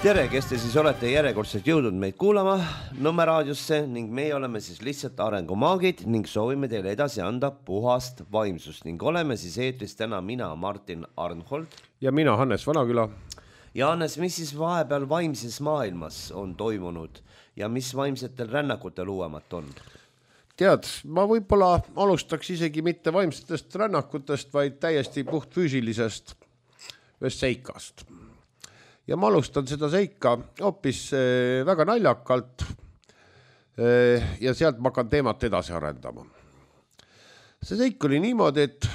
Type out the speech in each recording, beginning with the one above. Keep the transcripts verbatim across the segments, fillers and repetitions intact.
Tere, kes te siis olete järjekordselt jõudnud meid kuulama Nõmme raadiosse ning meie oleme siis lihtsalt arengumaagid ning soovime teile edasi anda puhast vaimsust ning oleme siis eetris täna mina, Martin Arnhold. Ja mina, Hannes Vanaküla. Ja Hannes, mis siis vahepeal vaimses maailmas on toimunud ja mis vaimsetel rännakutel uuemat on? Tead, ma võib-olla alustaks isegi mitte vaimsetest rännakutest, vaid täiesti puht füüsilisest ühest seikast. Ja ma alustan seda seika hoopis väga naljakalt ja sealt ma hakkan teemat edasi arendama. See seik oli niimoodi, et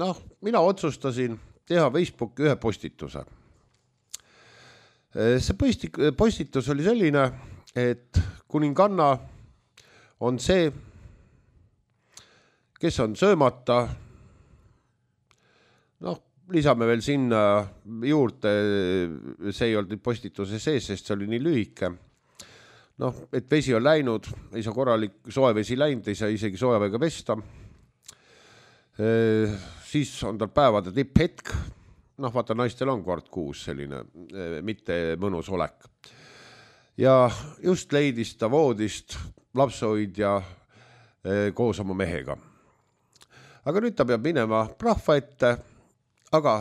noh, mina otsustasin teha Facebooki ühe postituse. See postitus oli selline, et kuninganna on see, kes on söömata, noh, lisame veel sinna juurde, see ei olnud postituse sees, sest see oli nii lühike. Noh, et vesi on läinud, ei saa korralik soe vesi läinud, ei saa isegi soojavega pesta. E, siis on tal päevade tipphetk. Noh, vaata, naistel on kord kuus selline, mitte mõnus olek. Ja just leidis ta voodist lapsehoidja koos oma mehega. Aga nüüd ta peab minema rahva ette, aga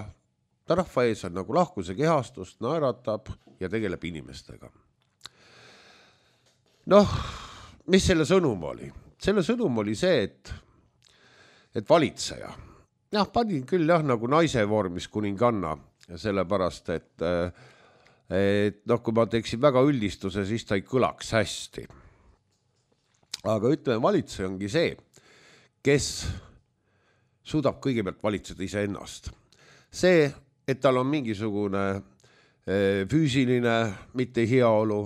ta rahva ees on nagu lahkuse kehastust, naeratab ja tegeleb inimestega. Noh, mis selle sõnum oli? Selle sõnum oli see, et, et valitseja. Jah, panin küll jah, nagu naise vormis kuninganna, sellepärast, et, et noh, kui ma teeksin väga üldistuse, siis ta ei kõlaks hästi. Aga ütleme, valitseja ongi see, kes suudab kõigepealt valitseda ise ennast. See, et tal on mingisugune füüsiline, mitte heaolu,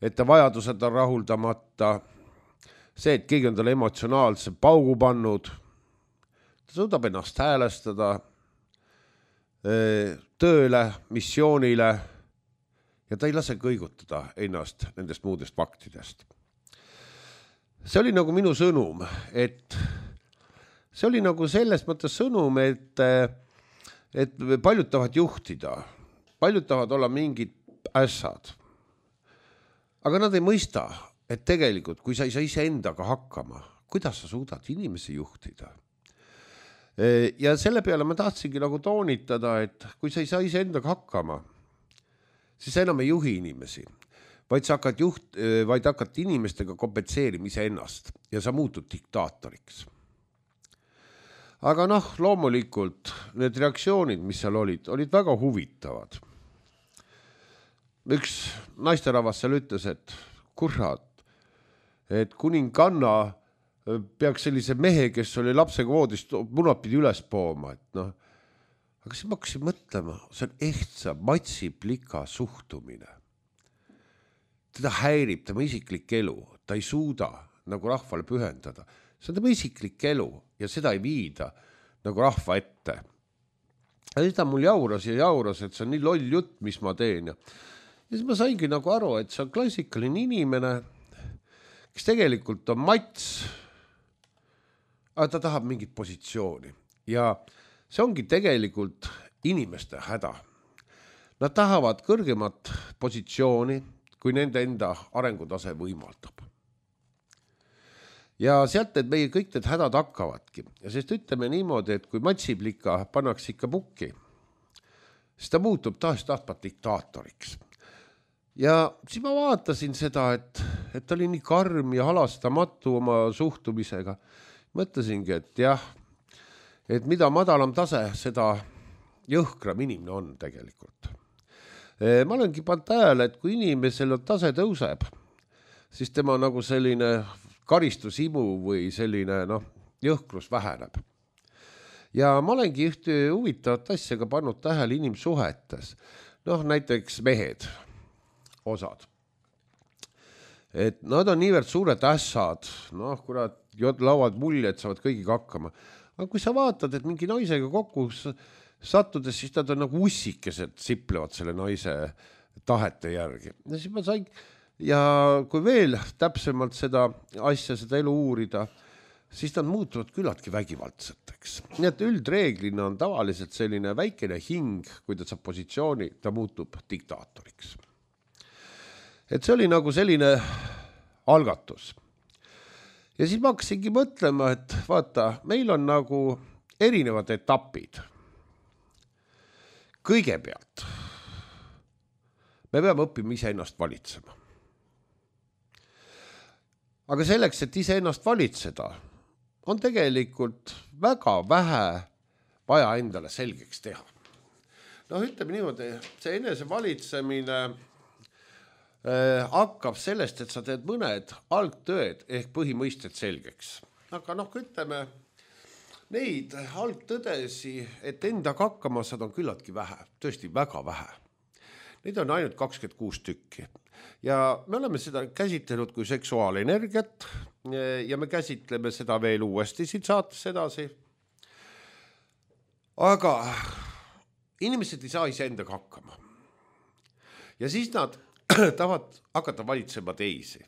et ta vajadused on rahuldamata, see, et keegi on talle emotsionaalse paugu pannud, ta suudab ennast häälestada tööle, missioonile ja ta ei lase kõigutada ennast nendest muudest faktidest. See oli nagu minu sõnum, et see oli nagu selles mõttes sõnum, et et paljud tahavad juhtida, paljud tahavad olla mingid ässad. Aga nad ei mõista, et tegelikult, kui sa ei saa ise endaga hakkama, kuidas sa suudad inimesi juhtida? Ja selle peale ma tahtsingi nagu toonitada, et kui sa ei saa ise endaga hakkama, siis sa enam ei juhi inimesi, vaid sa hakkad, juht, vaid hakkad inimestega kompenseerima ise ennast ja sa muutud diktaatoriks. Aga noh, loomulikult need reaktsioonid, mis seal olid, olid väga huvitavad. Üks naisterahvas seal ütles, et kurat, et kuninganna peaks sellise mehe, kes oli lapsega voodist, munad pidi üles pooma. Et noh, aga siis ma hakkasin mõtlema, see on ehtsa matsiplika suhtumine. Teda häirib tema isiklik elu, ta ei suuda nagu rahvale pühendada. See on tema isiklik elu ja seda ei viida nagu rahva ette. Ja seda mul jauras ja jauras, et see on nii loll jutt, mis ma teen. Ja siis ma saingi nagu aru, et see on klassikaline inimene, kes tegelikult on mats, aga ta tahab mingit positsiooni. Ja see ongi tegelikult inimeste häda. Nad tahavad kõrgemat positsiooni, kui nende enda arengutase võimaldab. Ja sealt need meie kõik need hädad hakkavadki. Ja sest ütleme niimoodi, et kui matsiplika pannakse ikka pukki, siis ta muutub taas tahtvat diktaatoriks. Ja siis ma vaatasin seda, et, et ta oli nii karm ja halastamatu oma suhtumisega. Mõtlesingi, et jah, et mida madalam tase, seda jõhkram inimene on tegelikult. Ma olengi pannud tähele, et kui inimesel tase tõuseb, siis tema nagu selline karistusimu või selline noh, jõhkrus väheneb. Ja ma olengi ühte huvitavat asja ka pannud tähele inimsuhetes. Noh, näiteks mehed, osad. Et nad on niivõrd suured ässad, noh, kurat, lauad mulje, et saavad kõigiga hakkama. Aga kui sa vaatad, et mingi naisega kokku sattudes, siis nad on nagu ussikesed siplevad selle naise tahete järgi. Ja siis ma sain... Ja kui veel täpsemalt seda asja, seda elu uurida, siis nad muutuvad küllaltki vägivaldseteks. Nii et üldreeglina on tavaliselt selline väikene hing, kui ta saab positsiooni, ta muutub diktaatoriks. Et see oli nagu selline algatus. Ja siis ma hakkasingi mõtlema, et vaata, meil on nagu erinevad etapid. Kõigepealt me peame õppima ise ennast valitsema. Aga selleks, et ise ennast valitseda, on tegelikult väga vähe vaja endale selgeks teha. No ütleme niimoodi, see enese valitsemine äh, hakkab sellest, et sa teed mõned algtõed ehk põhimõisted selgeks. Aga noh, ütleme, neid algtõdesi, et endaga hakkama saada on küllaltki vähe, tõesti väga vähe. Neid on ainult kakskümmend kuus tükki. Ja me oleme seda käsitlenud kui seksuaalenergiat ja me käsitleme seda veel uuesti siit saates edasi. Aga inimesed ei saa ise endaga hakkama. Ja siis nad tahavad hakata valitsema teisi.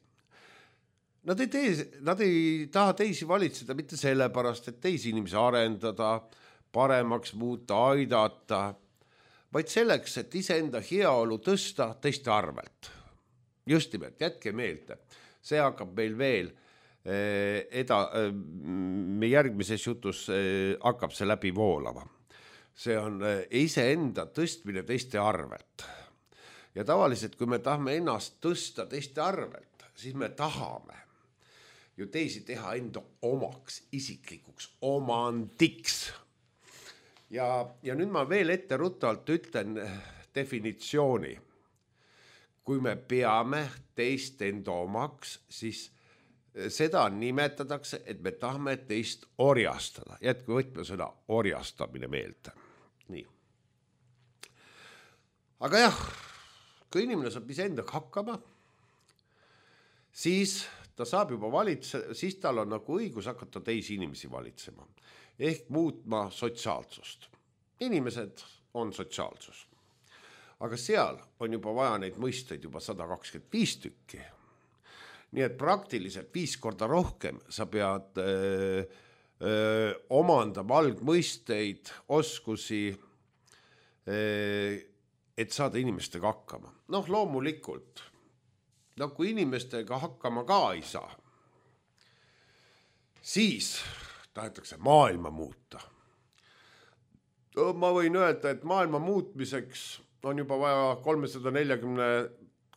Nad ei, tee, nad ei taha teisi valitseda mitte sellepärast, et teisi inimesi arendada, paremaks muuta, aidata, vaid selleks, et iseenda heaolu tõsta teiste arvelt. Just nimelt, jätke meelde. See hakkab meil veel eda, me järgmises jutus hakkab see läbi voolama. See on iseenda tõstmine teiste arvelt. Ja tavaliselt, kui me tahame ennast tõsta teiste arvelt, siis me tahame ju teisi teha enda omaks, isiklikuks, omandiks. Ja, ja nüüd ma veel ette ruttavalt ütlen definitsiooni. Kui me peame teist enda omaks, siis seda nimetatakse, et me tahame teist orjastada. Jätku võtme sõna orjastamine meelde. Nii. Aga jah, kui inimene saab iseendaga hakkama, siis ta saab juba valitse, siis tal on nagu õigus hakata teisi inimesi valitsema. Ehk muutma sotsiaalsust. Inimesed on sotsiaalsus. Aga seal on juba vaja neid mõisteid juba sada kakskümmend viis tükki. Nii et praktiliselt viis korda rohkem sa pead öö, öö, omandama algmõisteid, oskusi, öö, et saada inimestega hakkama. Noh, loomulikult, no kui inimestega hakkama ka ei saa, siis tahetakse maailma muuta. Ma võin öelda, et maailma muutmiseks on juba vaja kolmsada nelikümmend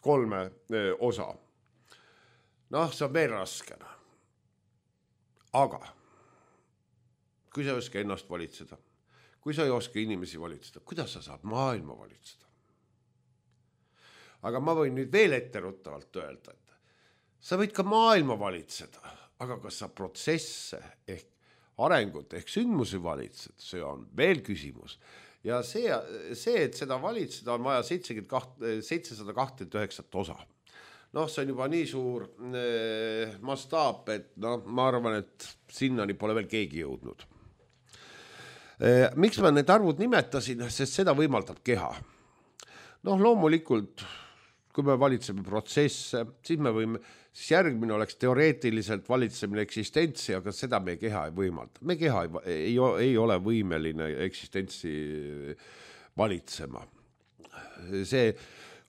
kolm osa. Noh, see on veel raskena. Aga kui sa ei oska ennast valitseda, kui sa ei oska inimesi valitseda, kuidas sa saad maailma valitseda? Aga ma võin nüüd veel etteruttavalt öelda, et sa võid ka maailma valitseda, aga kas sa protsesse ehk arengut ehk sündmusi valitsed, see on veel küsimus. Ja see, see et seda valitseda on vaja seitsesada kakskümmend üheksa osa. Noh, see on juba nii suur eh, mastaap, et no, ma arvan, et sinnani pole veel keegi jõudnud. Eh, miks ma need arvud nimetasin, sest seda võimaldab keha. Noh, loomulikult, kui me valitseme protsesse, siis me võime, siis järgmine oleks teoreetiliselt valitsemine eksistentsi, aga seda meie keha ei võimalda. Me keha ei, ei, ei ole võimeline eksistentsi valitsema. See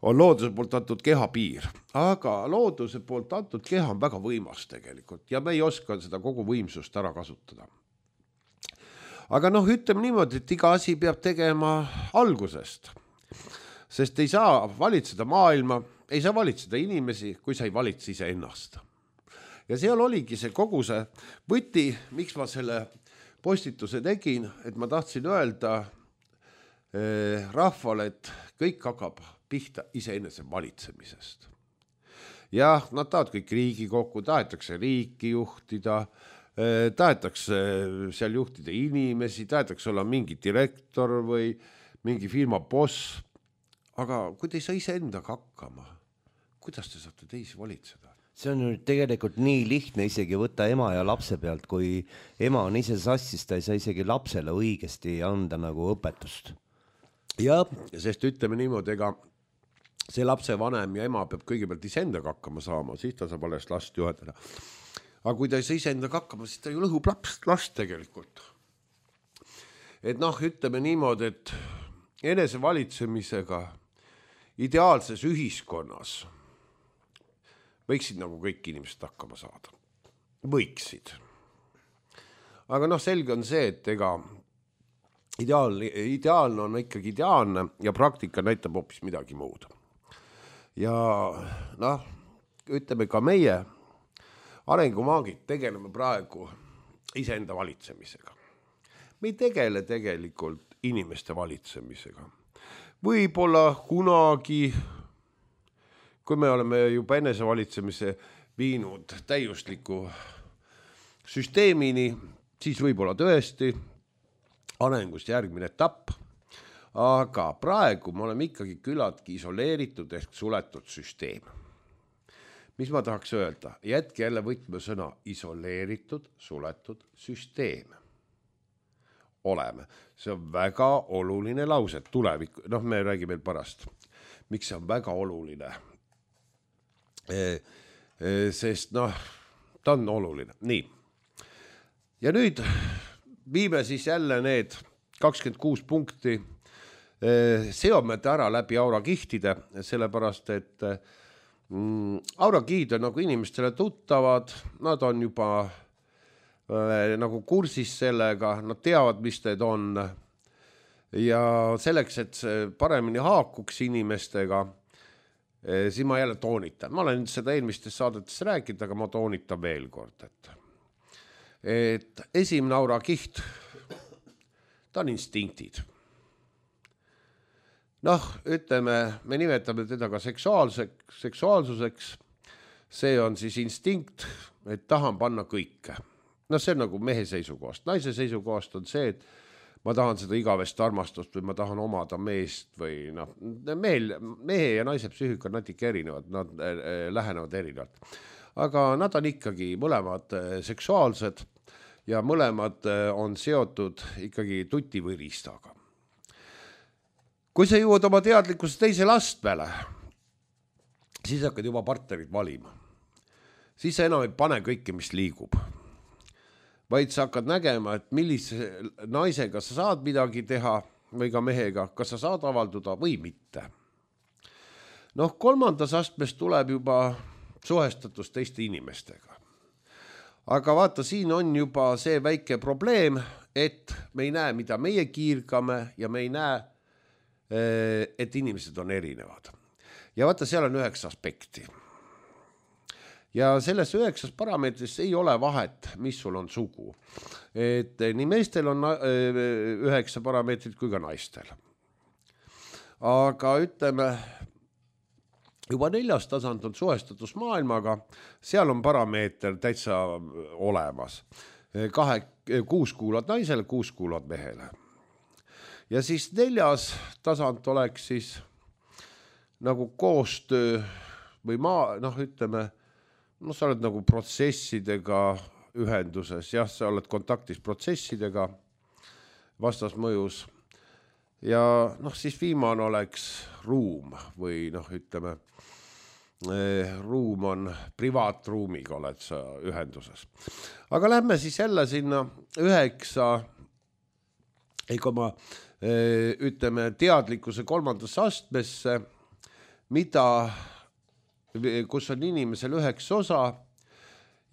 on looduse poolt antud keha piir, aga looduse poolt antud keha on väga võimas tegelikult ja me ei oska seda kogu võimsust ära kasutada. Aga noh, ütleme niimoodi, et iga asi peab tegema algusest. Sest ei saa valitseda maailma, ei saa valitseda inimesi, kui sa ei valitse ise ennast. Ja seal oligi see kogu see võti, miks ma selle postituse tegin, et ma tahtsin öelda eh, rahvale, et kõik hakkab pihta iseenese valitsemisest. Ja nad tahavad kõik riigi kokku, tahetakse riiki juhtida, eh, tahetakse seal juhtida inimesi, tahetakse olla mingi direktor või mingi firma boss. Aga kui te ei saa ise endaga hakkama, kuidas te saate teisi valitseda? See on nüüd tegelikult nii lihtne isegi võtta ema ja lapse pealt, kui ema on ise sassis, ta ei saa isegi lapsele õigesti anda nagu õpetust. Ja, sest ütleme niimoodi, ega see lapse vanem ja ema peab kõigepealt ise endaga hakkama saama, siis ta saab alles last juhendada. aga kui ta ei saa iseendaga hakkama, siis ta ju lõhub laps, last tegelikult. Et noh, ütleme niimoodi, et enesevalitsemisega ideaalses ühiskonnas võiksid nagu kõik inimesed hakkama saada. Võiksid. Aga noh, selge on see, et ega ideaal, ideaalne on ikkagi ideaalne ja praktika näitab hoopis midagi muud. Ja noh, ütleme ka meie arengumaagid tegeleme praegu iseenda valitsemisega. Me ei tegele tegelikult inimeste valitsemisega. Võib-olla kunagi, kui me oleme juba enesevalitsemise viinud täiusliku süsteemini, siis võib-olla tõesti arengust järgmine etapp, aga praegu me oleme ikkagi küllaltki isoleeritud ehk suletud süsteem. Mis ma tahaks öelda? Jätke jälle võtmesõna isoleeritud, suletud süsteem. Oleme. See on väga oluline lause, tulevik, noh me räägime pärast, miks see on väga oluline. E, e, sest noh, ta on oluline. Nii. Ja nüüd viime siis jälle need kakskümmend kuus punkti e, seome ära läbi aurakihtide, sellepärast et mm, aurakihid on nagu inimestele tuttavad, nad on juba nagu kursis sellega, nad teavad, mis need on ja selleks, et see paremini haakuks inimestega, siis ma jälle toonitan. Ma olen seda eelmistes saadetes rääkinud, aga ma toonitan veel kord, et, et esimene aurakiht, ta on instinktid. Noh, ütleme, me nimetame teda ka seksuaalseks, seksuaalsuseks, see on siis instinkt, et tahan panna kõike. No see on nagu mehe seisukohast. Naise seisukohast on see, et ma tahan seda igavest armastust või ma tahan omada meest või noh, mehel, mehe ja naise psüühika on natuke erinevad, nad lähenevad erinevalt. Aga nad on ikkagi mõlemad seksuaalsed ja mõlemad on seotud ikkagi tuti või riistaga. Kui sa jõuad oma teadlikkuse teisele astmele, siis hakkad juba partnerid valima. Siis sa enam ei pane kõike, mis liigub. Vaid sa hakkad nägema, et millise naisega sa saad midagi teha või ka mehega, kas sa saad avalduda või mitte. Noh, kolmandas astmes tuleb juba suhestatus teiste inimestega. Aga vaata, siin on juba see väike probleem, et me ei näe, mida meie kiirgame ja me ei näe, et inimesed on erinevad. Ja vaata, seal on üheksa aspekti. Ja selles üheksas parameetris ei ole vahet, mis sul on sugu. Et nii meestel on üheksa parameetrit kui ka naistel. Aga ütleme, juba neljas tasand on suhestatus maailmaga, seal on parameeter täitsa olemas. Kahe, kuus kuulad naisele, kuus kuulad mehele. Ja siis neljas tasand oleks siis nagu koostöö või maa, noh ütleme, no sa oled nagu protsessidega ühenduses, jah, sa oled kontaktis protsessidega vastasmõjus ja noh, siis viimane oleks ruum või noh, ütleme, ruum on privaatruumiga oled sa ühenduses. Aga lähme siis jälle sinna üheksa, ega ma ütleme teadlikkuse kolmandasse astmesse, mida kus on inimesel üheks osa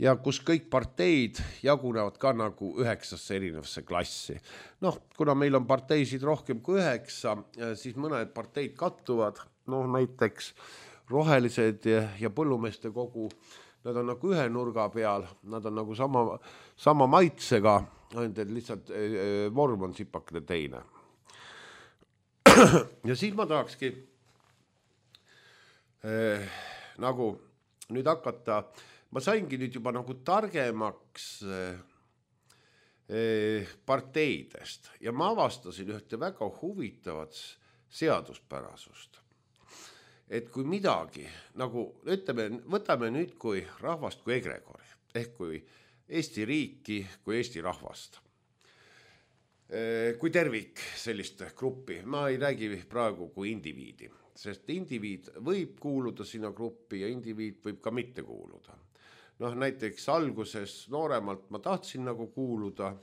ja kus kõik parteid jagunevad ka nagu üheksasse erinevasse klassi. Noh, kuna meil on parteisid rohkem kui üheksa, siis mõned parteid kattuvad, noh näiteks rohelised ja põllumeeste kogu, nad on nagu ühe nurga peal, nad on nagu sama, sama maitsega, ainult et lihtsalt vorm on sipakene teine. Ja siis ma tahakski eh, nagu nüüd hakata, ma saingi nüüd juba nagu targemaks parteidest ja ma avastasin ühte väga huvitavat seaduspärasust. Et kui midagi, nagu ütleme, võtame nüüd kui rahvast kui egregori, ehk kui Eesti riiki, kui Eesti rahvast, kui tervik sellist gruppi, ma ei räägi praegu kui indiviidi. Sest indiviid võib kuuluda sinna gruppi ja indiviid võib ka mitte kuuluda. noh, näiteks alguses nooremalt ma tahtsin nagu kuuluda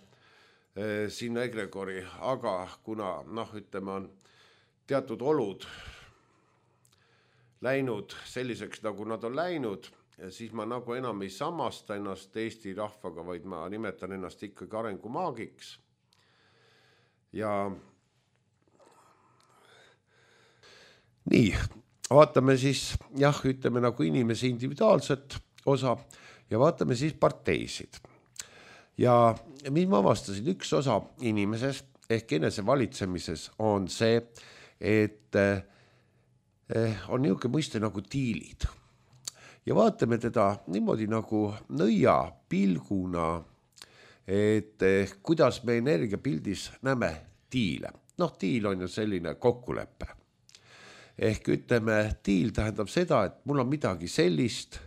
eh, sinna egregori, aga kuna noh, ütleme on teatud olud läinud selliseks, nagu nad on läinud, siis ma nagu enam ei samasta ennast Eesti rahvaga, vaid ma nimetan ennast ikkagi arengumaagiks. Ja nii, vaatame siis, jah, ütleme nagu inimese individuaalset osa ja vaatame siis parteisid. Ja mis ma avastasin, üks osa inimeses ehk enese valitsemises on see, et on niisugune mõiste nagu tiilid. Ja vaatame teda niimoodi nagu nõia pilguna, et kuidas me energiapildis näeme tiile. Noh, tiil on ju selline kokkulepe. Ehk ütleme, tiil tähendab seda, et mul on midagi sellist,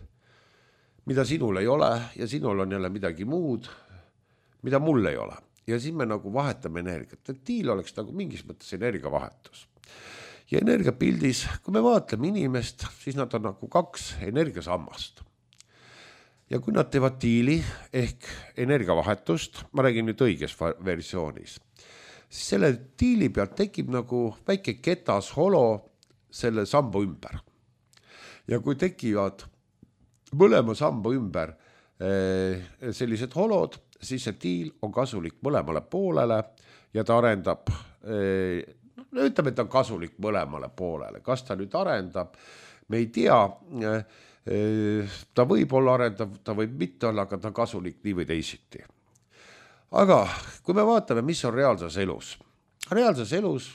mida sinul ei ole ja sinul on jälle midagi muud, mida mul ei ole. Ja siis me nagu vahetame energiat. Et tiil oleks nagu mingis mõttes energiavahetus. Ja energiapildis, kui me vaatleme inimest, siis nad on nagu kaks energiasammast. Ja kui nad teevad tiili ehk energiavahetust, ma räägin nüüd õiges versioonis, siis selle tiili pealt tekib nagu väike ketas holo selle samba ümber. Ja kui tekivad mõlema samba ümber sellised holod, siis see tiil on kasulik mõlemale poolele ja ta arendab, no ütleme, et ta on kasulik mõlemale poolele. Kas ta nüüd arendab, me ei tea, ta võib olla arendav, ta võib mitte olla, aga ta on kasulik nii või teisiti. Aga kui me vaatame, mis on reaalses elus. Reaalses elus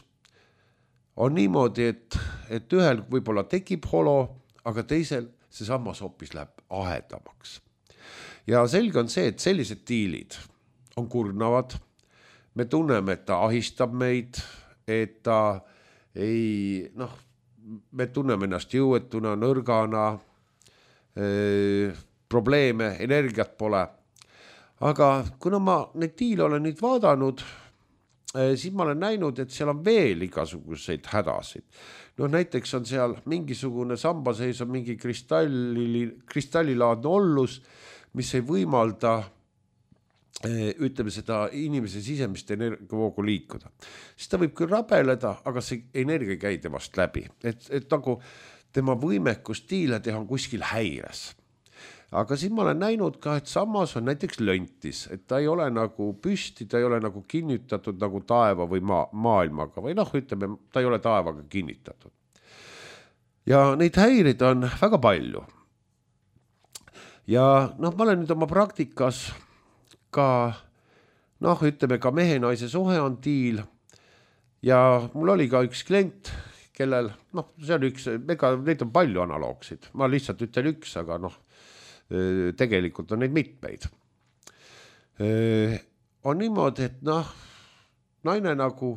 on niimoodi, et, et ühel võib-olla tekib holo, aga teisel see sammas hoopis läheb ahedamaks. Ja selge on see, et sellised tiilid on kurnavad. Me tunneme, et ta ahistab meid, et ta ei, noh, me tunneme ennast jõuetuna, nõrgana, eh, probleeme, energiat pole. Aga kuna ma neid tiile olen nüüd vaadanud, eh, siis ma olen näinud, et seal on veel igasuguseid hädasid. No näiteks on seal mingisugune samba sees on mingi kristalli, kristallilaadne ollus, mis ei võimalda ütleme seda inimese sisemist energiavoogu liikuda. Siis ta võib küll rabeleda, aga see energia ei käi temast läbi. Et, et nagu tema võimekus tiile teha on kuskil häires. Aga siin ma olen näinud ka, et samas on näiteks löntis, et ta ei ole nagu püsti, ta ei ole nagu kinnitatud nagu taeva või maa, maailmaga või noh, ütleme, ta ei ole taevaga kinnitatud. Ja neid häirid on väga palju. Ja noh, ma olen nüüd oma praktikas ka, noh, ütleme ka mehe-naise suhe on tiil ja mul oli ka üks klient, kellel, noh, see on üks, ega neid on palju analoogsid, ma lihtsalt ütlen üks, aga noh, tegelikult on neid mitmeid. On niimoodi, et noh, naine nagu,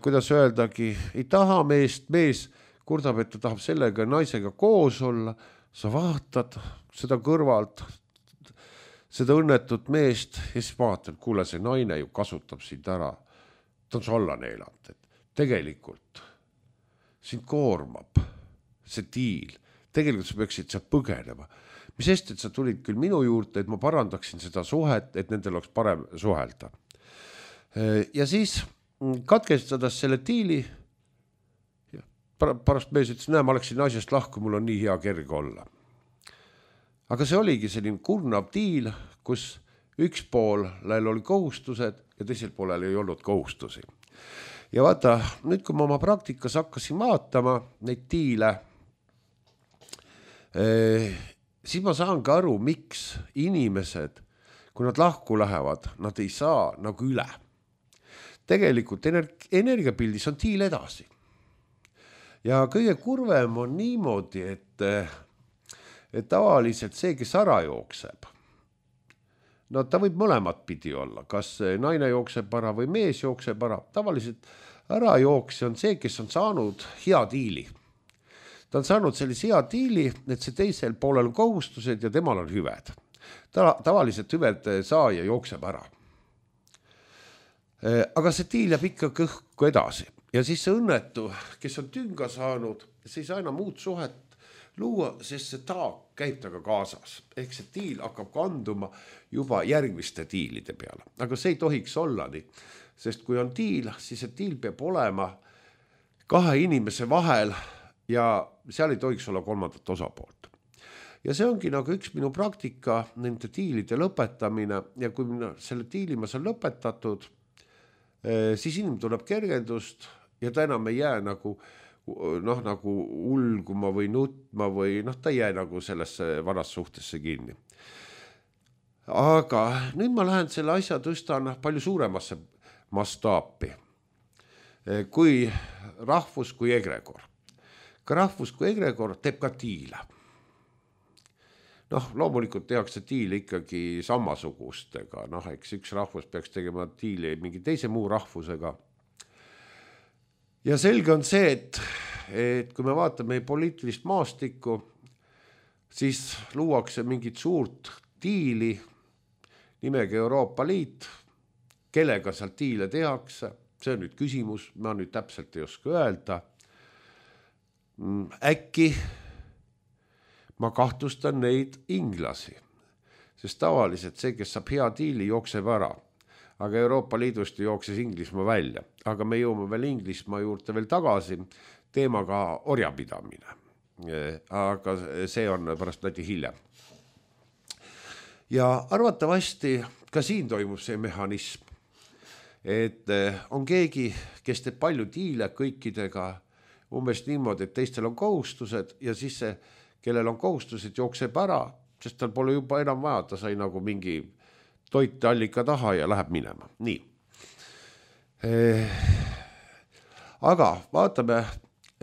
kuidas öeldagi, ei taha meest, mees kurdab, et ta tahab sellega naisega koos olla, sa vaatad seda kõrvalt, seda õnnetut meest ja siis vaatad, kuule, see naine ju kasutab sind ära. Ta on su alla neelanud, et tegelikult sind koormab see tiil. Tegelikult sa peaksid sa põgenema. Mis sest, et sa tulid küll minu juurde, et ma parandaksin seda suhet, et nendel oleks parem suhelda. Ja siis katkestades selle tiili, pärast mees ütles, näe, ma oleksin naisest lahku, mul on nii hea kerge olla. Aga see oligi selline kurnav tiil, kus üks poolel oli kohustused ja teisel poolel ei olnud kohustusi. Ja vaata, nüüd kui ma oma praktikas hakkasin vaatama neid tiile, eh, siis ma saan ka aru, miks inimesed, kui nad lahku lähevad, nad ei saa nagu üle. Tegelikult energiapildis on tiil edasi. Ja kõige kurvem on niimoodi, et et tavaliselt see, kes ära jookseb, no ta võib mõlemat pidi olla, kas naine jookseb ära või mees jookseb ära. Tavaliselt ära jooksja on see, kes on saanud hea tiili. Ta on saanud sellise hea tiili, et see teisel poolel on kohustused ja temal on hüved. Ta, tavaliselt hüved saaja jookseb ära. Aga see tiil jääb ikka kõhku edasi. Ja siis see õnnetu, kes on tünga saanud, siis aina muud suhet luua, sest see taak käib taga kaasas. Ehk see tiil hakkab kanduma juba järgmiste tiilide peale. Aga see ei tohiks olla nii, sest kui on tiil, siis see tiil peab olema kahe inimese vahel ja seal ei tohiks olla kolmandat osapoolt. Ja see ongi nagu üks minu praktika, nende tiilide lõpetamine ja kui selle tiili ma saan lõpetatud, siis inimene tuleb kergendust ja ta enam ei jää nagu, noh, nagu ulguma või nutma või noh, ta ei jää nagu sellesse vanas suhtesse kinni. Aga nüüd ma lähen selle asja tõstan palju suuremasse mastaapi kui rahvus kui egregor. Ka rahvus kui egregor teeb ka tiile. Noh, loomulikult tehakse tiili ikkagi samasugustega, noh, eks üks rahvus peaks tegema tiili mingi teise muu rahvusega. Ja selge on see, et, et kui me vaatame poliitilist maastikku, siis luuakse mingit suurt tiili nimega Euroopa Liit, kellega seal tiile tehakse, see on nüüd küsimus, ma nüüd täpselt ei oska öelda. Äkki ma kahtlustan neid inglasi, sest tavaliselt see, kes saab hea tiili, jookseb ära. Aga Euroopa Liidust jookses Inglismaa välja. Aga me jõuame veel Inglismaa juurde veel tagasi teemaga orjapidamine. Aga see on pärast näiti hiljem. Ja arvatavasti ka siin toimub see mehhanism, et on keegi, kes teeb palju tiile kõikidega umbes niimoodi, et teistel on kohustused ja siis see kellel on kohustused, jookseb ära, sest tal pole juba enam vaja, ta sai nagu mingi toitallika taha ja läheb minema. Nii. Aga vaatame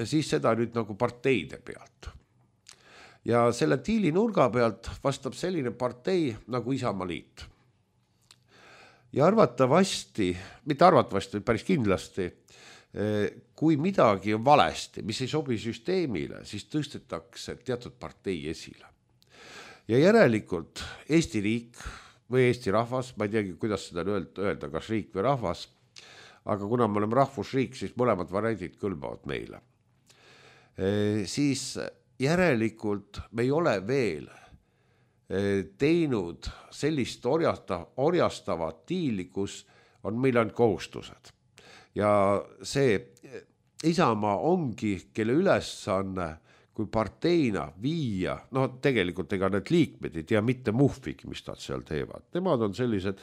siis seda nüüd nagu parteide pealt. Ja selle tiili nurga pealt vastab selline partei nagu Isamaa Liit. Ja arvatavasti, mitte arvatavasti, päris kindlasti, kui midagi on valesti, mis ei sobi süsteemile, siis tõstetakse teatud partei esile. Ja järelikult Eesti riik või Eesti rahvas, ma ei teagi, kuidas seda öelda, kas riik või rahvas, aga kuna me oleme rahvusriik, siis mõlemad variandid kõlbavad meile. Siis järelikult me ei ole veel teinud sellist orjastavat tiili, kus on meil ainult kohustused. Ja see Isamaa ongi, kelle ülesanne kui parteina viia, no tegelikult ega need liikmed ei tea mitte muhvigi, mis nad seal teevad. Nemad on sellised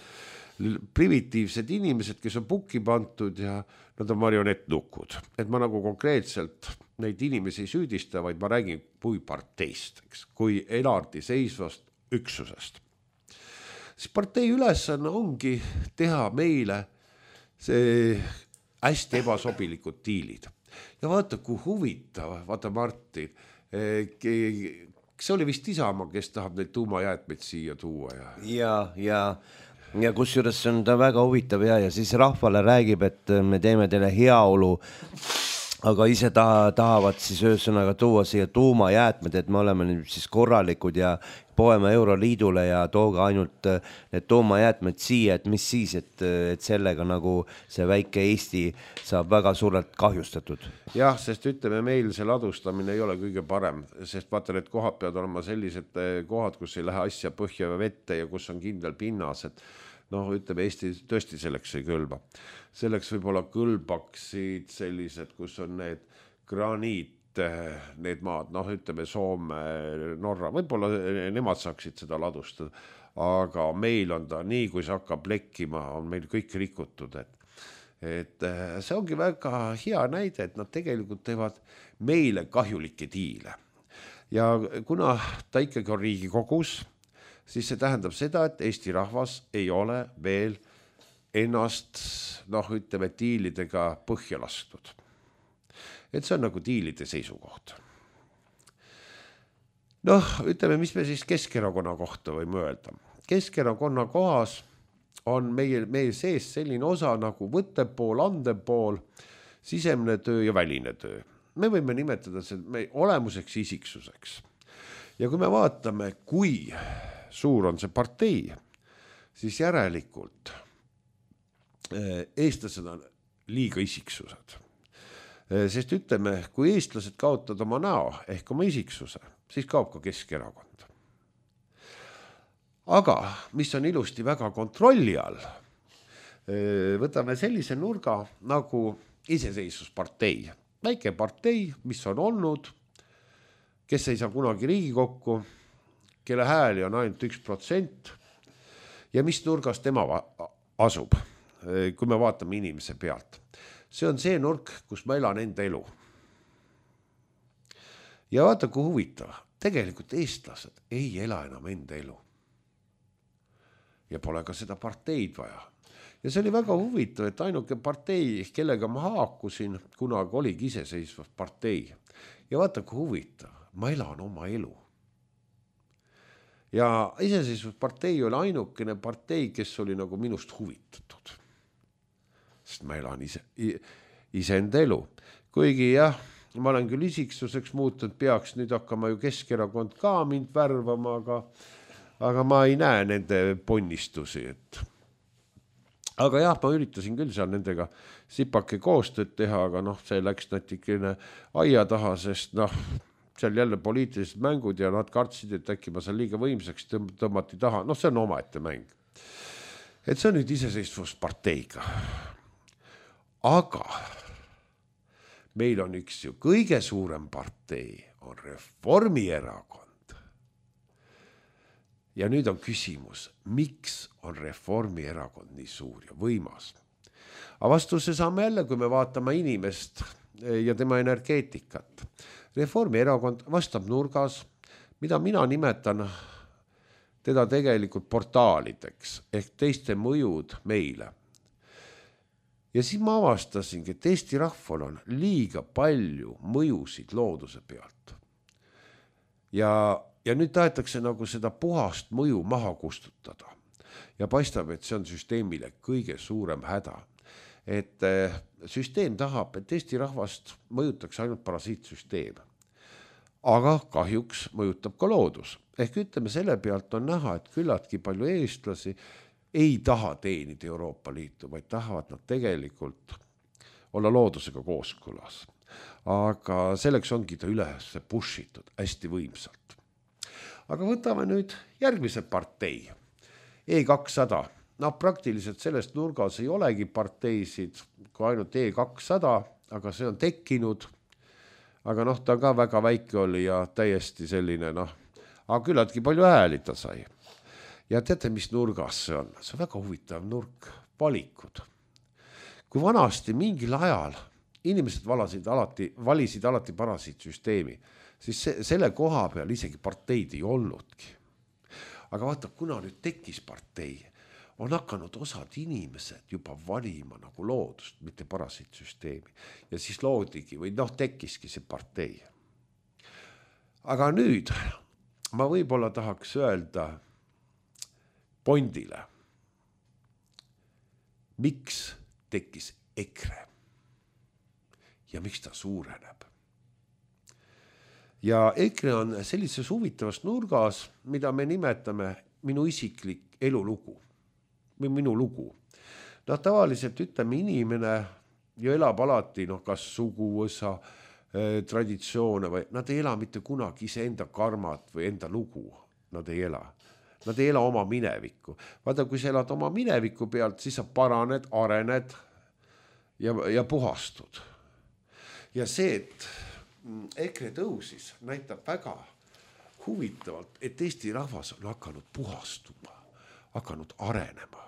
primitiivsed inimesed, kes on pukki pantud ja nad on marionettnukud. Et ma nagu konkreetselt neid inimesi ei süüdista, vaid ma räägin kui parteist, eks, kui elardi seisvast üksusest. Siis partei ülesanne ongi teha meile see hästi ebasobilikud tiilid. Ja vaata, kui huvitav, vaata Martin, see oli vist Isamaa, kes tahab neid tuumajäätmeid siia tuua. Ja, ja, ja, ja kus juures on ta väga huvitav ja, ja siis rahvale räägib, et me teeme teile heaolu, aga ise ta, tahavad siis öösõnaga tuua siia tuumajäätmed, et me oleme nüüd siis korralikud ja poeme Euroliidule ja tooga ainult need tuumajäätmed siia, et mis siis, et, et sellega nagu see väike Eesti saab väga suurelt kahjustatud. Jah, sest ütleme, meil see ladustamine ei ole kõige parem, sest vaata, need kohad peavad olema sellised kohad, kus ei lähe asja põhja ja vette ja kus on kindel pinnas, et noh, ütleme, Eesti tõesti selleks ei kõlba. Selleks võib-olla kõlbaksid sellised, kus on need graniit, need maad, noh, ütleme Soome, Norra, võib-olla nemad saaksid seda ladustada, aga meil on ta nii, kui see hakkab lekkima, on meil kõik rikutud, et, et see ongi väga hea näide, et nad tegelikult teevad meile kahjulikke tiile. Ja kuna ta ikkagi on Riigikogus, siis see tähendab seda, et Eesti rahvas ei ole veel ennast, noh, ütleme, tiilidega põhja lastud. Et see on nagu tiilide seisukoht. Noh, ütleme, mis me siis Keskerakonna kohta võime öelda. Keskerakonna kohas on meie, meie sees selline osa nagu võttepool, andepool, sisemne töö ja väline töö. Me võime nimetada seda olemuseks isiksuseks. Ja kui me vaatame, kui suur on see partei, siis järelikult eestlased on liiga isiksused. Sest ütleme, kui eestlased kaotavad oma näo ehk oma isiksuse, siis kaob ka Keskerakond. Aga mis on ilusti väga kontrolli all, võtame sellise nurga nagu iseseisvuspartei. Väike partei, mis on olnud, kes ei saa kunagi Riigikokku, kelle hääli on ainult üks protsent ja mis nurgas tema asub, kui me vaatame inimese pealt. See on see nurk, kus ma elan enda elu. Ja vaata, kui huvitav, tegelikult eestlased ei ela enam enda elu. Ja pole ka seda parteid vaja. Ja see oli väga huvitav, et ainuke partei, kellega ma haakusin, kunagi oligi iseseisvus partei. Ja vaata, kui huvitav, ma elan oma elu. Ja iseseisvuspartei oli ainukene partei, kes oli nagu minust huvitatud. Sest ma elan ise, ise enda elu. Kuigi jah, ma olen küll isiksuseks muutunud, peaks nüüd hakkama ju Keskerakond ka mind värvama, aga, aga ma ei näe nende ponnistusi. Et... Aga jah, ma üritasin küll seal nendega sipake koostööd teha, aga noh, see läks natikene aia taha, sest noh, seal jälle poliitilised mängud ja nad kartsid, et äkki ma seal liiga võimsaks tõmmati taha. Noh, see on omaette mäng. Et see on nüüd iseseisvusparteiga. Aga meil on üks ju kõige suurem partei, on Reformierakond. Ja nüüd on küsimus, miks on Reformierakond nii suur ja võimas? Aga vastuse saame jälle, kui me vaatame inimest ja tema energeetikat. Reformierakond vastab nurgas, mida mina nimetan teda tegelikult portaalideks, ehk teiste mõjud meile. Ja siis ma avastasingi, et Eesti rahval on liiga palju mõjusid looduse pealt. Ja, ja nüüd tahetakse nagu seda puhast mõju maha kustutada. Ja paistab, et see on süsteemile kõige suurem häda. Et süsteem tahab, et Eesti rahvast mõjutakse ainult parasiitsüsteem. Aga kahjuks mõjutab ka loodus. Ehk ütleme, selle pealt on näha, et küllatki palju eestlasi ei taha teenida Euroopa Liitu, vaid tahavad nad tegelikult olla loodusega kooskõlas. Aga selleks ongi ta üles pushitud hästi võimsalt. Aga võtame nüüd järgmise partei, E kakssada. No praktiliselt sellest nurgas ei olegi parteisid, kui ainult E kakssada, aga see on tekkinud. Aga noh, ta ka väga väike oli ja täiesti selline, noh, aga küllaltki palju hääli ta sai. Ja teate, mis nurgas see on? See on väga huvitav nurk, valikud. Kui vanasti mingil ajal inimesed valasid alati, valisid alati parasiitsüsteemi, siis se, selle koha peal isegi parteid ei olnudki. Aga vaata, kuna nüüd tekkis partei, on hakanud osad inimesed juba valima nagu loodust, mitte parasiitsüsteemi. Ja siis loodigi või noh, tekkiski see partei. Aga nüüd ma võib-olla tahaks öelda Bondile. Miks tekkis EKRE? Ja miks ta suureneb? Ja EKRE on sellises huvitavas nurgas, mida me nimetame minu isiklik elulugu. Või minu lugu. No tavaliselt ütleme inimene ju elab alati, noh, kas suguvõsa, eh, traditsioone või nad ei ela mitte kunagi ise enda karmat või enda lugu. Nad ei ela. Nad ei ela oma minevikku. Vaata, kui sa elad oma mineviku pealt, siis sa paraned, arened ja, ja puhastud. Ja see, et EKRE tõusis, näitab väga huvitavalt, et Eesti rahvas on hakanud puhastuma, hakanud arenema.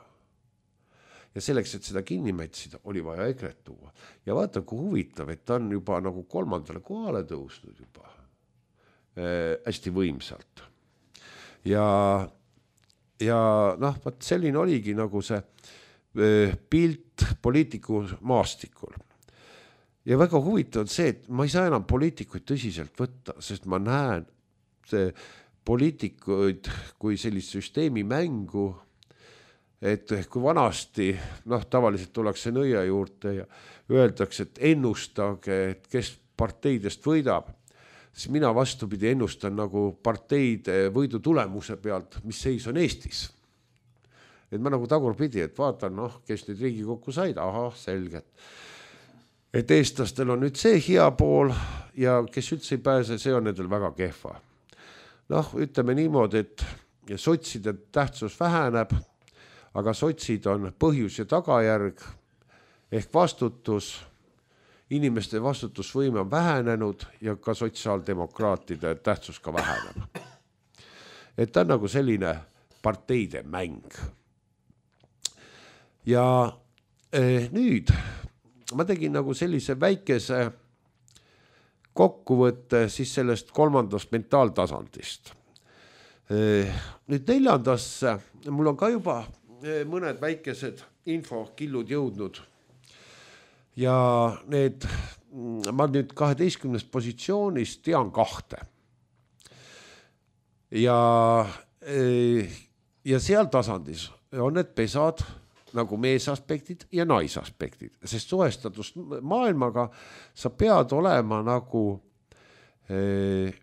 Ja selleks, et seda kinni mätsida, oli vaja EKRE-t tuua. Ja vaata, kui huvitav, et ta on juba nagu kolmandale kohale tõusnud juba äh, hästi võimsalt. Ja Ja noh, vaat selline oligi nagu see pilt poliitiku maastikul. Ja väga huvitav on see, et ma ei saa enam poliitikuid tõsiselt võtta, sest ma näen see poliitikuid kui sellist süsteemi mängu, et kui vanasti, noh, tavaliselt tullakse nõia juurde ja öeldakse, et ennustage, et kes parteidest võidab, siis mina vastupidi ennustan nagu parteide võidu tulemuse pealt, mis seis on Eestis. Et ma nagu tagurpidi, et vaatan, noh, kes nüüd Riigikokku said, aha, selgelt. et eestlastel on nüüd see hea pool ja kes üldse ei pääse, see on nendel väga kehva. Noh, ütleme niimoodi, et sotside tähtsus väheneb, aga sotsid on põhjus ja tagajärg ehk vastutus, inimeste vastutusvõime on vähenenud ja ka sotsiaaldemokraatide tähtsus ka väheneb. Et ta on nagu selline parteide mäng. Ja eh, nüüd ma tegin nagu sellise väikese kokkuvõtte siis sellest kolmandast mentaaltasandist. Eh, nüüd neljandasse, mul on ka juba eh, mõned väikesed infokillud jõudnud ja need, ma nüüd kaheteistkümnest positsioonist tean kahte. Ja, ja seal tasandis on need pesad nagu meesaspektid ja naisaspektid, sest suhestatust maailmaga sa pead olema nagu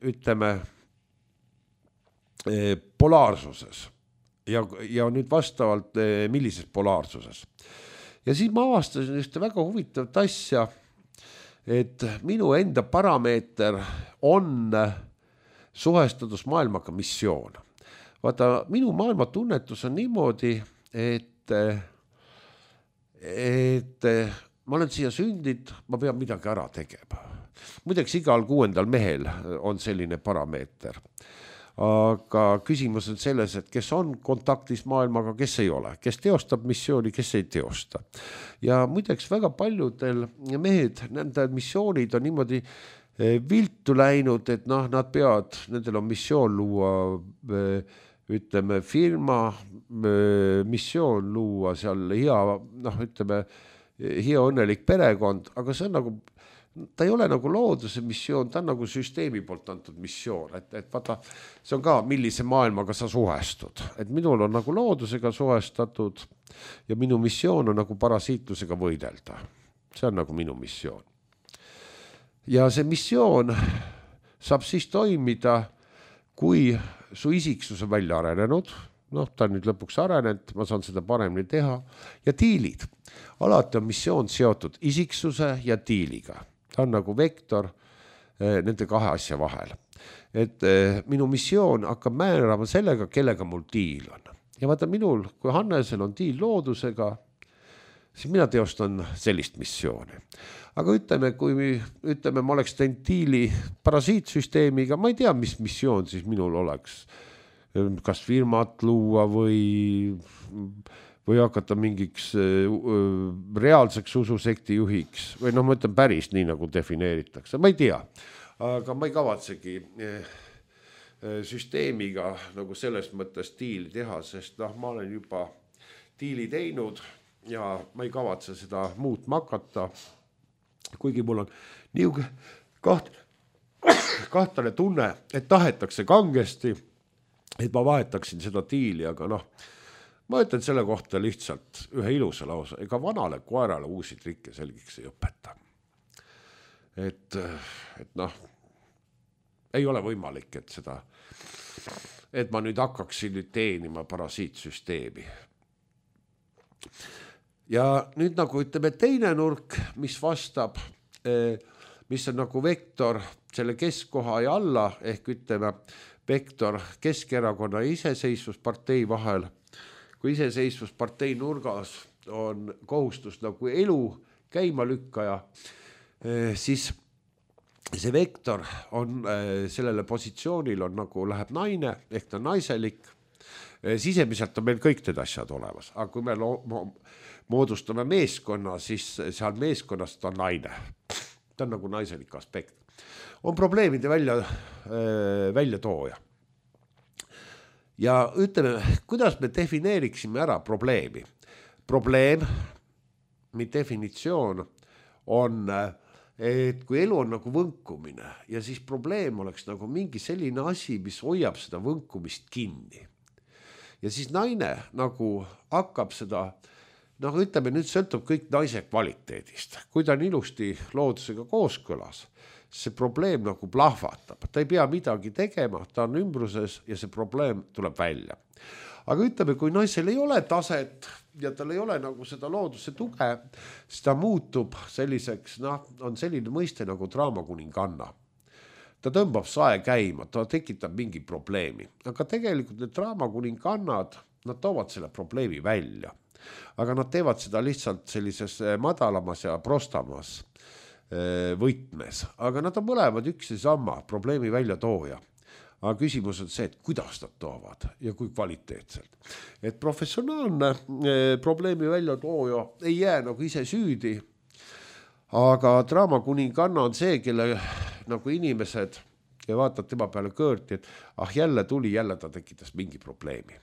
ütleme polaarsuses ja, ja nüüd vastavalt millises polaarsuses. Ja siis ma avastasin ühte väga huvitavat asja, et minu enda parameeter on suhestatus maailmaga missioon. Vaata, minu maailma tunnetus on niimoodi, et, et ma olen siia sündid, ma pean midagi ära tegema. Muideks igal kuuendal mehel on selline parameeter. Aga küsimus on selles, et kes on kontaktis maailmaga, kes ei ole, kes teostab missiooni, kes ei teosta. Ja muideks väga paljudel mehed, nende missioonid on niimoodi viltu läinud, et noh, nad peavad, nendel on missioon luua, ütleme, firma, missioon luua seal hea, noh, ütleme, hea õnnelik perekond, aga see on nagu, ta ei ole nagu looduse missioon, ta on nagu süsteemi poolt antud missioon, et, et vaata, see on ka, millise maailmaga sa suhestud, et minul on nagu loodusega suhestatud ja minu missioon on nagu parasiitlusega võidelda. See on nagu minu missioon. Ja see missioon saab siis toimida, kui su isiksus on välja arenenud, noh, ta on nüüd lõpuks arenenud, ma saan seda paremini teha, ja tiilid. Alati on missioon seotud isiksuse ja tiiliga. Ta on nagu vektor eh, nende kahe asja vahel. Et eh, minu missioon hakkab määrama sellega, kellega mul tiil on. Ja vaata minul, kui Hannesel on tiil loodusega, siis mina teostan sellist missiooni. Aga ütleme, kui ütleme, ma oleks teinud tiili parasiitsüsteemiga, ma ei tea, mis missioon siis minul oleks. Kas firmat luua või, või hakata mingiks reaalseks ususekti juhiks. Või noh, ma ütlen päris nii, nagu defineeritakse. Ma ei tea, aga ma ei kavatsegi süsteemiga nagu selles mõttes tiili teha, sest noh, ma olen juba tiili teinud ja ma ei kavatse seda muutma hakata. Kuigi mul on niuke kaht, kahtane tunne, et tahetakse kangesti, et ma vahetaksin seda tiili, aga noh, ma ütlen selle kohta lihtsalt ühe ilusa lause, ega vanale koerale uusi trikke selgiks ei õpeta. Et, et noh, ei ole võimalik, et seda, et ma nüüd hakkaksin nüüd teenima parasiitsüsteemi. Ja nüüd nagu ütleme teine nurk, mis vastab, mis on nagu vektor selle keskkoha ja alla, ehk ütleme vektor Keskerakonna ja iseseisvuspartei vahel. Kui iseseisvuspartei nurgas on kohustus nagu elu käima lükkaja, siis see vektor on sellele positsioonil on nagu läheb naine, ehk ta on naiselik. Sisemiselt on meil kõik need asjad olemas, aga kui me moodustame meeskonna, siis seal meeskonnast on naine. Ta on nagu naiselik aspekt. On probleemide välja, välja tooja. Ja ütleme, kuidas me defineeriksime ära probleemi? Probleem, mi definitsioon on, et kui elu on nagu võnkumine ja siis probleem oleks nagu mingi selline asi, mis hoiab seda võnkumist kinni. Ja siis naine nagu hakkab seda, noh ütleme, nüüd sõltub kõik naise kvaliteedist. Kui ta on ilusti loodusega kooskõlas, see probleem nagu plahvatab. Ta ei pea midagi tegema, ta on ümbruses ja see probleem tuleb välja. aga ütleme, kui naisel ei ole taset ja tal ei ole nagu seda looduse tuge, siis ta muutub selliseks, noh, on selline mõiste nagu draamakuninganna. Ta tõmbab sae käima, ta tekitab mingi probleemi, aga tegelikult need draamakuningannad, nad toovad selle probleemi välja. Aga nad teevad seda lihtsalt sellises madalamas ja prostamas võtmes, aga nad on mõlemad üks ja sama probleemi välja tooja. Aga küsimus on see, et kuidas nad toovad ja kui kvaliteetselt. Et professionaalne probleemi välja tooja ei jää nagu ise süüdi, aga draamakuninganna on see, kelle nagu inimesed ja vaatad tema peale kõõrti, et ah jälle tuli, jälle ta tekitas mingi probleemi.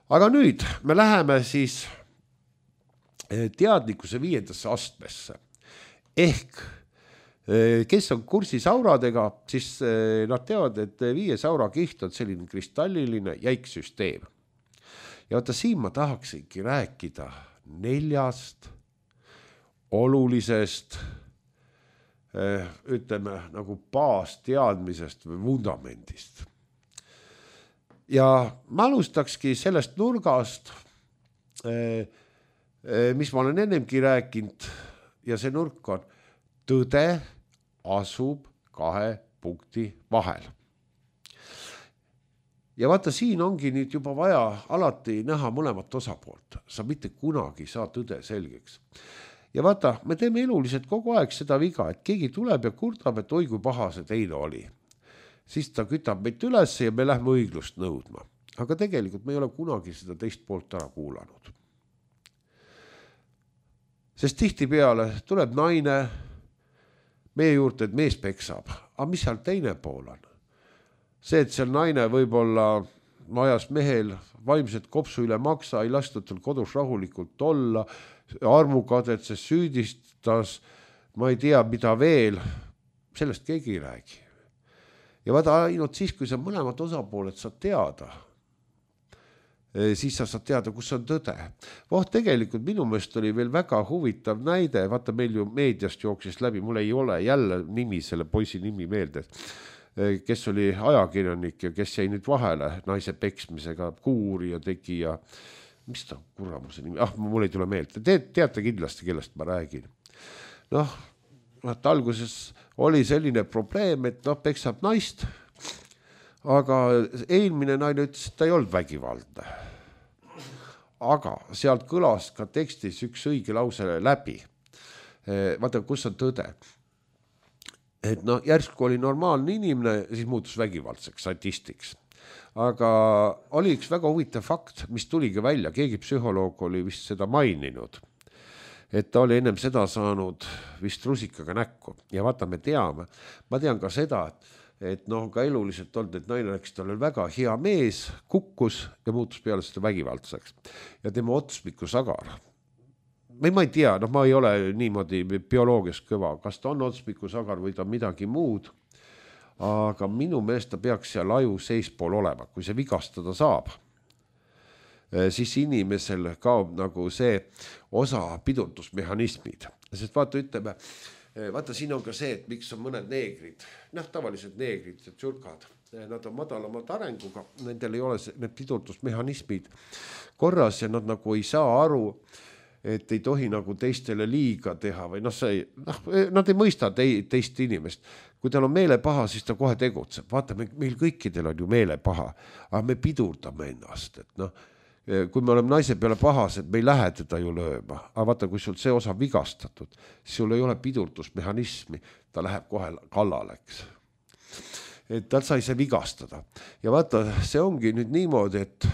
Aga nüüd me läheme siis teadlikkuse viiendasse astmesse. Ehk kes on kursis auradega, siis nad teavad, et viies aurakiht on selline kristalliline jäik süsteem. Ja vaata, siin ma tahaksingi rääkida neljast olulisest, ütleme, nagu baasteadmisest või vundamendist. Ja ma alustakski sellest nurgast, mis ma olen ennemgi rääkinud, ja see nurk on tõde asub kahe punkti vahel. Ja vaata, siin ongi nüüd juba vaja alati näha mõlemat osapoolt. Sa mitte kunagi saa tõde selgeks. Ja vaata, me teeme eluliselt kogu aeg seda viga, et keegi tuleb ja kurdab, et oi kui paha see teine oli. Siis ta kütab meid üles ja me lähme õiglust nõudma. Aga tegelikult me ei ole kunagi seda teist poolt ära kuulanud. Sest tihti peale tuleb naine meie juurde, et mees peksab. Aga mis seal teine pool on? See, et seal naine võib-olla ajas mehel vaimset kopsu üle maksa, ei lastud tal kodus rahulikult olla, armukadetses süüdistas, ma ei tea, mida veel, sellest keegi ei räägi. Ja vaata ainult siis, kui sa mõlemad osapooled saad teada, siis sa saad teada, kus on tõde. Voh, tegelikult minu meelest oli veel väga huvitav näide, vaata meil ju meediast jooksis läbi, mul ei ole jälle nimi, selle poisi nimi meelde, kes oli ajakirjanik ja kes jäi nüüd vahele naise peksmisega, kuuri ja tegi ja mis ta kuramuse nimi, ah, mul ei tule meelde, Te, teate kindlasti, kellest ma räägin. Noh, et alguses oli selline probleem, et noh, peksab naist, aga eelmine naine ütles, et ta ei olnud vägivaldne. Aga sealt kõlas ka tekstis üks õige lause läbi. Vaata, kus on tõde. Et noh, järsku oli normaalne inimene, siis muutus vägivaldseks, sadistiks. Aga oli üks väga huvitav fakt, mis tuligi välja. Keegi psühholoog oli vist seda maininud. Et ta oli ennem seda saanud vist rusikaga näkku. Ja vaata, me teame. Ma tean ka seda, et et noh, ka eluliselt olnud, et naine rääkis, ta oli väga hea mees, kukkus ja muutus peale seda vägivaldseks. Ja tema otsmiku sagar. Või ma ei tea, noh, ma ei ole niimoodi bioloogias kõva, kas ta on otsmiku sagar või ta midagi muud, aga minu meelest ta peaks seal aju seispool olema, kui see vigastada saab. Siis inimesel kaob nagu see osa pidurdusmehhanismid. Sest vaata, ütleme, vaata, siin on ka see, et miks on mõned neegrid, noh, tavalised neegrid ja tšurkad, nad on madalamad arenguga, nendel ei ole need pidurdusmehhanismid korras ja nad nagu ei saa aru, et ei tohi nagu teistele liiga teha või noh, see, noh, nad ei mõista te, teist inimest. Kui tal on meele paha, siis ta kohe tegutseb. Vaata, meil kõikidel on ju meele paha, aga me pidurdame ennast, et noh, kui me oleme naise peale pahas, et me ei lähe teda ju lööma, aga vaata, kui sul see osa vigastatud, siis sul ei ole pidurdusmehhanismi, ta läheb kohe kallaleks. Et tal sai see vigastada. Ja vaata, see ongi nüüd niimoodi, et,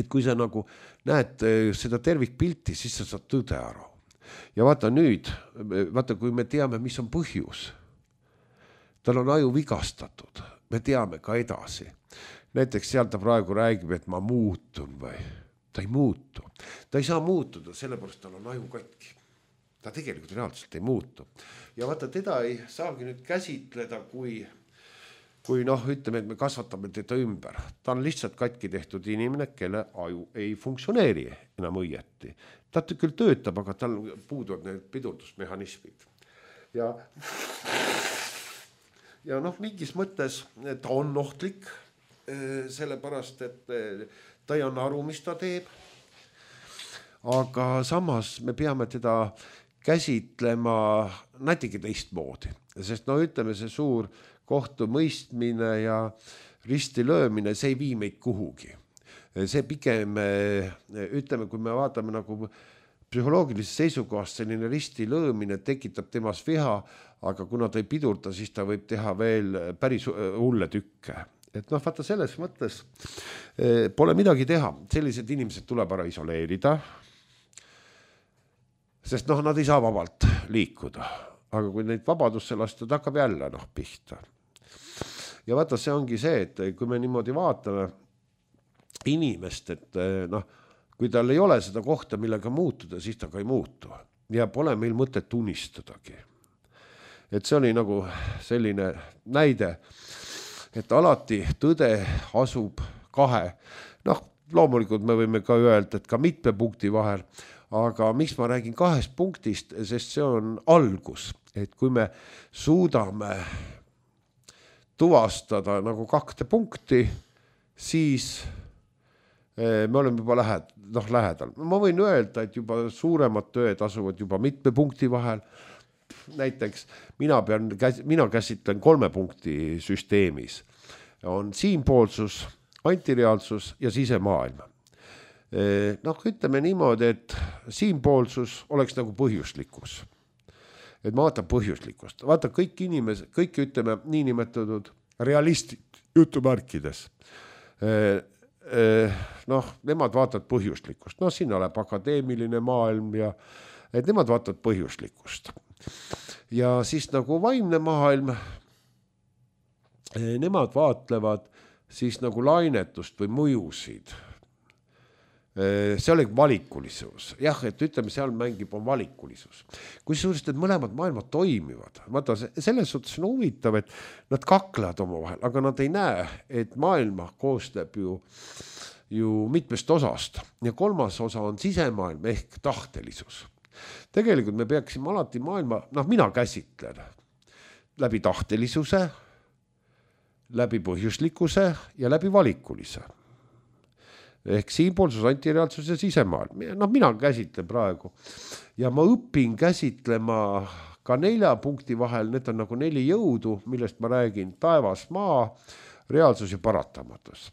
et kui sa nagu näed seda tervikpilti, siis sa saad tõde aru. Ja vaata nüüd, vaata, kui me teame, mis on põhjus, tal on aju vigastatud, me teame ka edasi. Näiteks seal ta praegu räägib, et ma muutun või ta ei muutu. Ta ei saa muutuda, sellepärast tal on aju katki. Ta tegelikult reaalselt ei muutu. Ja vaata, teda ei saagi nüüd käsitleda, kui, kui noh, ütleme, et me kasvatame teda ümber. Ta on lihtsalt katki tehtud inimene, kelle aju ei funktsioneeri enam õieti. Ta küll töötab, aga tal puuduvad need pidurdusmehhanismid. Ja, ja noh, mingis mõttes ta on ohtlik, sellepärast, et ta ei anna aru, mis ta teeb. Aga samas me peame teda käsitlema natuke teistmoodi, sest no ütleme, see suur kohtumõistmine ja risti löömine, see ei vii meid kuhugi. See pigem, ütleme, kui me vaatame nagu psühholoogilise seisukohast, selline risti löömine tekitab temas viha, aga kuna ta ei pidurda, siis ta võib teha veel päris hulle tükke. Et noh, vaata selles mõttes pole midagi teha. Sellised inimesed tuleb ära isoleerida, sest noh, nad ei saa vabalt liikuda. Aga kui neid vabadusse lasta, ta hakkab jälle noh, pihta. Ja vaata, see ongi see, et kui me niimoodi vaatame inimest, et noh, kui tal ei ole seda kohta, millega muutuda, siis ta ka ei muutu. Ja pole meil mõtet unistadagi. Et see oli nagu selline näide, et alati tõde asub kahe. Noh, loomulikult me võime ka öelda, et ka mitme punkti vahel, aga miks ma räägin kahest punktist, sest see on algus. Et kui me suudame tuvastada nagu kahte punkti, siis me oleme juba lähed, noh, lähedal. Ma võin öelda, et juba suuremad tööd asuvad juba mitme punkti vahel. Näiteks mina, pean, mina käsitlen kolme punkti süsteemis. On siinpoolsus, antireaalsus ja sisemaailm. Noh, ütleme niimoodi, et siinpoolsus oleks nagu põhjuslikkus. Et ma vaatan põhjuslikkust. Vaata kõik inimesed, kõik ütleme niinimetatud realistid jutumärkides. Noh, nemad vaatavad põhjuslikkust. Noh, siin oleb akadeemiline maailm ja et nemad vaatavad põhjuslikkust. Ja siis nagu vaimne maailm, nemad vaatlevad siis nagu lainetust või mõjusid. See oli valikulisus. Jah, et ütleme, seal mängib on valikulisus. Kui suurest, et mõlemad maailmad toimivad. Vaata, selles suhtes on huvitav, et nad kaklevad oma vahel, aga nad ei näe, et maailma koostab ju, ju mitmest osast. Ja kolmas osa on sisemaailm ehk tahtelisus. Tegelikult me peaksime alati maailma, noh, mina käsitlen läbi tahtelisuse, läbi põhjuslikkuse ja läbi valikulise. Ehk siinpoolsus, antireaalsus ja sisemaailm. Noh, mina käsitlen praegu. Ja ma õpin käsitlema ka nelja punkti vahel, need on nagu neli jõudu, millest ma räägin, taevas, maa, reaalsus ja paratamatus.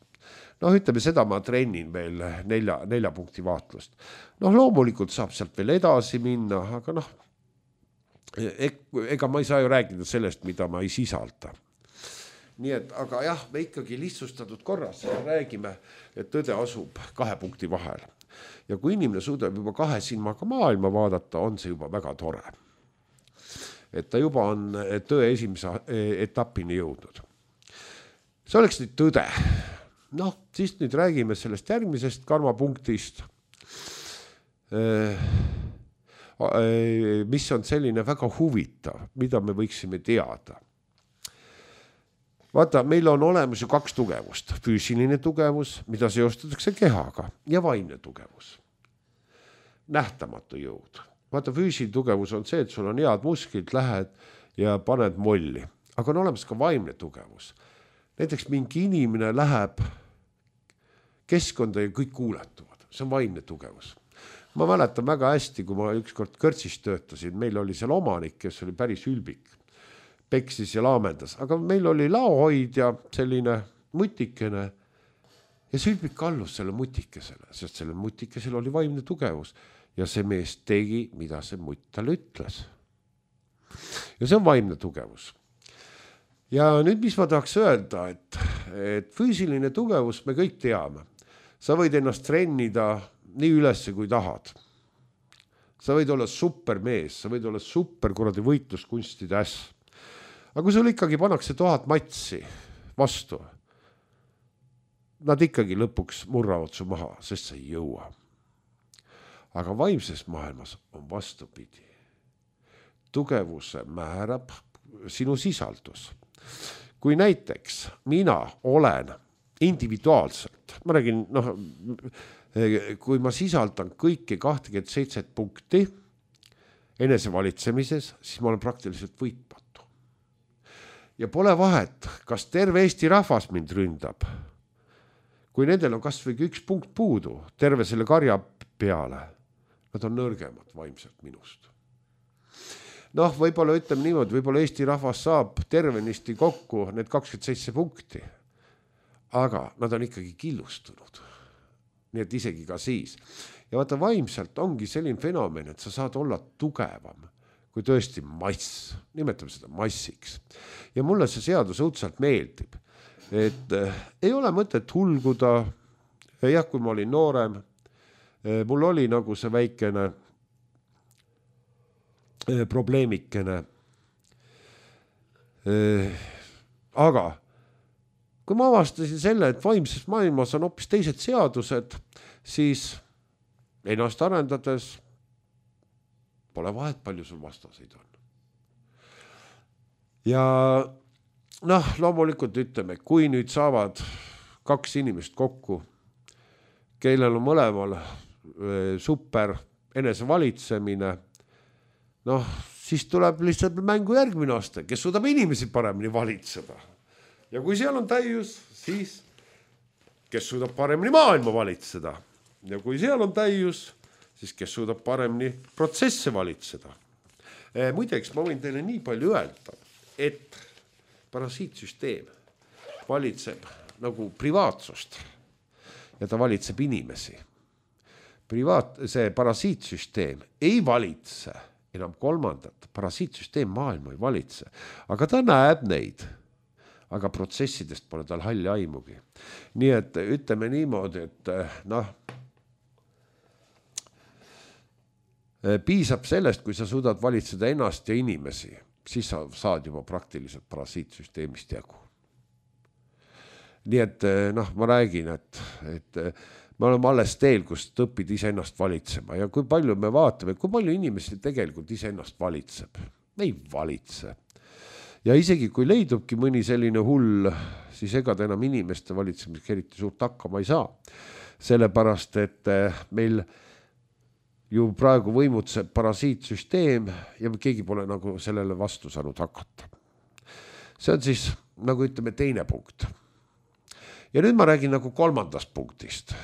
Noh, ütleme, seda ma trennin veel nelja, nelja punkti vaatlust. Noh, loomulikult saab sealt veel edasi minna, aga noh, ega ma ei saa ju rääkida sellest, mida ma ei sisalda. Nii et, aga jah, me ikkagi lihtsustatud korras räägime, et tõde asub kahe punkti vahel. Ja kui inimene suudab juba kahe silmaga maailma vaadata, on see juba väga tore. Et ta juba on tõe esimese etapini jõudnud. See oleks nüüd tõde. Noh, siis nüüd räägime sellest järgmisest karmapunktist, mis on selline väga huvitav, mida me võiksime teada. Vaata, meil on olemas ju kaks tugevust. Füüsiline tugevus, mida seostatakse kehaga, ja vaimne tugevus. Nähtamatu jõud. Vaata, füüsiline tugevus on see, et sul on head musklid, lähed ja paned molli. Aga on olemas ka vaimne tugevus. Näiteks mingi inimene läheb keskkonda ja kõik kuuletuvad. See on vaimne tugevus. Ma mäletan väga hästi, kui ma ükskord kõrtsis töötasin, meil oli seal omanik, kes oli päris ülbik. Peksis ja laamendas, aga meil oli laohoidja selline mutikene ja see ülbik kallus selle mutikesele, sest selle mutikesel oli vaimne tugevus ja see mees tegi, mida see mutt talle ütles. Ja see on vaimne tugevus. Ja nüüd, mis ma tahaks öelda, et, et füüsiline tugevus me kõik teame. Sa võid ennast trennida nii ülesse, kui tahad. Sa võid olla supermees, sa võid olla super kuradi võitluskunstide äss. Aga kui sul ikkagi pannakse tuhat matsi vastu, nad ikkagi lõpuks murravad su maha, sest sa ei jõua. Aga vaimses maailmas on vastupidi. Tugevuse määrab sinu sisaldus. Kui näiteks mina olen individuaalselt, ma räägin, noh, kui ma sisaldan kõiki kakskümmend seitse punkti enesevalitsemises, siis ma olen praktiliselt võitmatu. Ja pole vahet, kas terve Eesti rahvas mind ründab kui nendel on kas või üks punkt puudu terve selle karja peale, nad on nõrgemad vaimselt minust. Noh, võib-olla ütleme niimoodi, võib-olla Eesti rahvas saab tervenisti kokku need kakskümmend seitse punkti, aga nad on ikkagi killustunud. Nii et isegi ka siis. Ja vaata, vaimselt ongi selline fenomen, et sa saad olla tugevam kui tõesti mass, nimetame seda massiks. Ja mulle see seadus õudselt meeldib, et äh, ei ole mõtet hulguda. Jah, kui ma olin noorem, äh, mul oli nagu see väikene äh, probleemikene. Äh, aga kui ma avastasin selle, et vaimses maailmas on hoopis teised seadused, siis ennast arendades pole vahet, palju sul vastaseid on. Ja noh, loomulikult ütleme, kui nüüd saavad kaks inimest kokku, kellel on mõlemal super enesevalitsemine, noh, siis tuleb lihtsalt mängu järgmine aasta, kes suudab inimesi paremini valitseda. Ja kui seal on täius, siis kes suudab paremini maailma valitseda. Ja kui seal on täius, siis kes suudab paremini protsesse valitseda. E, muideks, ma võin teile nii palju öelda, et parasiitsüsteem valitseb nagu privaatsust ja ta valitseb inimesi. Privaat, see parasiitsüsteem ei valitse enam kolmandat. Parasiitsüsteem maailma ei valitse, aga ta näeb neid. Aga protsessidest pole tal halli aimugi. Nii et ütleme niimoodi, et noh, piisab sellest, kui sa suudad valitseda ennast ja inimesi, siis sa saad juba praktiliselt parasiitsüsteemist jagu. Nii et noh, ma räägin, et, et me oleme alles teel, kus õpid ise ennast valitsema ja kui palju me vaatame, kui palju inimesi tegelikult ise ennast valitseb. Me ei valitse. Ja isegi kui leidubki mõni selline hull, siis ega ta enam inimeste valitsemiseks eriti suurt hakkama ei saa. Sellepärast, et meil ju praegu võimutseb parasiitsüsteem ja keegi pole nagu sellele vastu saanud hakata. See on siis, nagu ütleme, teine punkt. Ja nüüd ma räägin nagu kolmandast punktist.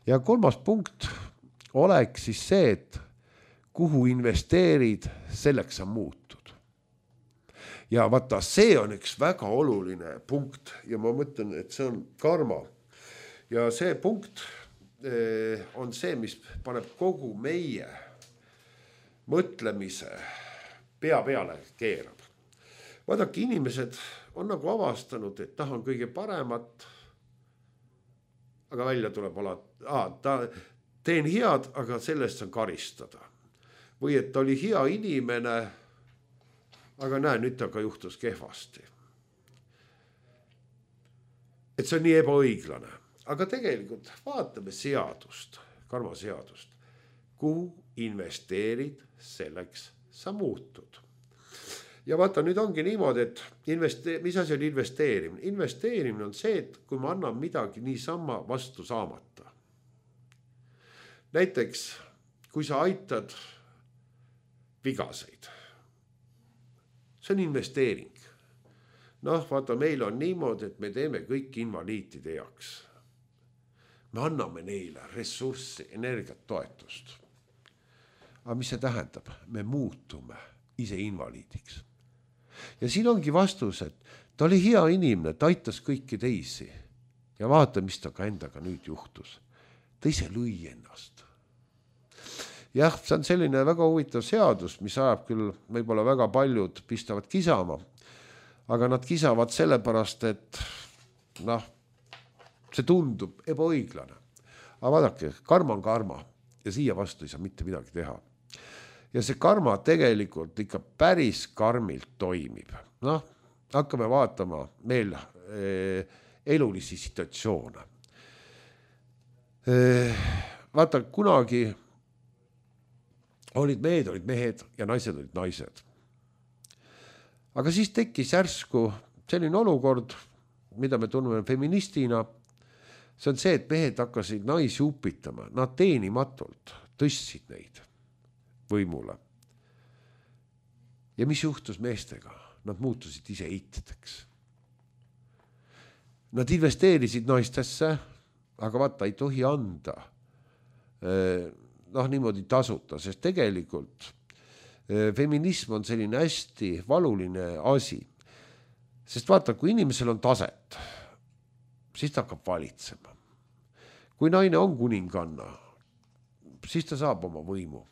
Ja kolmas punkt oleks siis see, et kuhu investeerid, selleks sa muutud. Ja vaata, see on üks väga oluline punkt ja ma mõtlen, et see on karma. Ja see punkt on see, mis paneb kogu meie mõtlemise pea peale keerab. Vaadake, inimesed on nagu avastanud, et tahan kõige paremat, aga välja tuleb alati, ah, ta, teen head, aga sellest on karistada. Või et ta oli hea inimene, aga näe, nüüd ta ka juhtus kehvasti. Et see on nii ebaõiglane. Aga tegelikult vaatame seadust, karmaseadust. Kuhu investeerid, selleks sa muutud. Ja vaata, nüüd ongi niimoodi, et investe- mis asi on investeerimine? Investeerimine on see, et kui ma annan midagi niisama vastu saamata. Näiteks, kui sa aitad vigaseid, see on investeering. Noh, vaata, meil on niimoodi, et me teeme kõik invaliitide heaks. Me anname neile ressurssi, energiat, toetust. Aga mis see tähendab? Me muutume ise invaliidiks. Ja siin ongi vastus, et ta oli hea inimene, ta aitas kõiki teisi. Ja vaata, mis ta ka endaga nüüd juhtus. Ta ise lõi ennast. Jah, see on selline väga huvitav seadus, mis ajab küll võib-olla väga paljud pistavad kisama. Aga nad kisavad sellepärast, et noh, see tundub ebaõiglane. Aga vaadake, karma on karma ja siia vastu ei saa mitte midagi teha. Ja see karma tegelikult ikka päris karmilt toimib. Noh, hakkame vaatama meil eh, elulisi situatsioone. Eh, vaata, kunagi olid mehed, olid mehed ja naised olid naised. Aga siis tekkis järsku selline olukord, mida me tunneme feministina. See on see, et mehed hakkasid naisi upitama. Nad teenimatult tõstsid neid võimule. Ja mis juhtus meestega? Nad muutusid ise eitideks. Nad investeerisid naistesse, aga vaata, ei tohi anda noh niimoodi tasuta, sest tegelikult feminism on selline hästi valuline asi. Sest vaata, kui inimesel on taset, siis ta hakkab valitsema. Kui naine on kuninganna, siis ta saab oma võimu.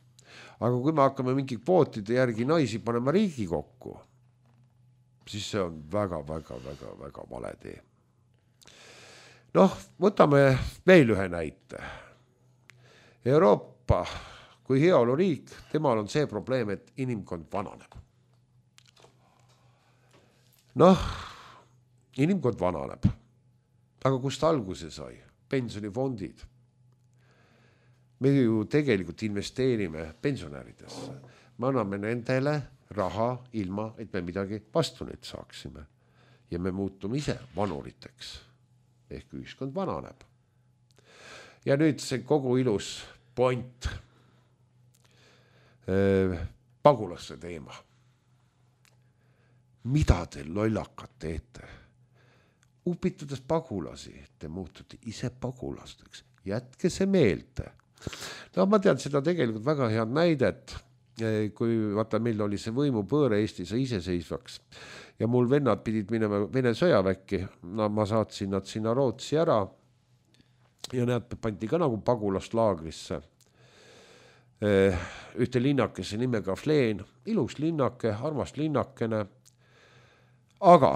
Aga kui me hakkame mingi kvootide järgi naisi panema riigi kokku, siis see on väga, väga, väga, väga vale tee. Noh, võtame veel ühe näite. Euroopa kui heaoluriik, temal on see probleem, et inimkond vananeb. Noh, inimkond vananeb. Aga kust alguse sai? Pensionifondid. Me ju tegelikult investeerime pensionäridesse. Me anname nendele raha ilma, et me midagi vastu nüüd saaksime. Ja me muutume ise vanuriteks. Ehk ühiskond vananeb. Ja nüüd see kogu ilus point. Pagulasse teema. Mida te lollakad teete? Upitades pagulasi, te muutute ise pagulasteks. Jätke see meelde. No ma tean seda tegelikult väga head näidet, kui vaata, meil oli see võimupööre Eestis iseseisvaks ja mul vennad pidid minema Vene sõjaväkki. No ma saatsin nad sinna Rootsi ära ja need pandi ka nagu pagulaslaagrisse. Ühte linnakese nimega Fleen, ilus linnake, armas linnakene, aga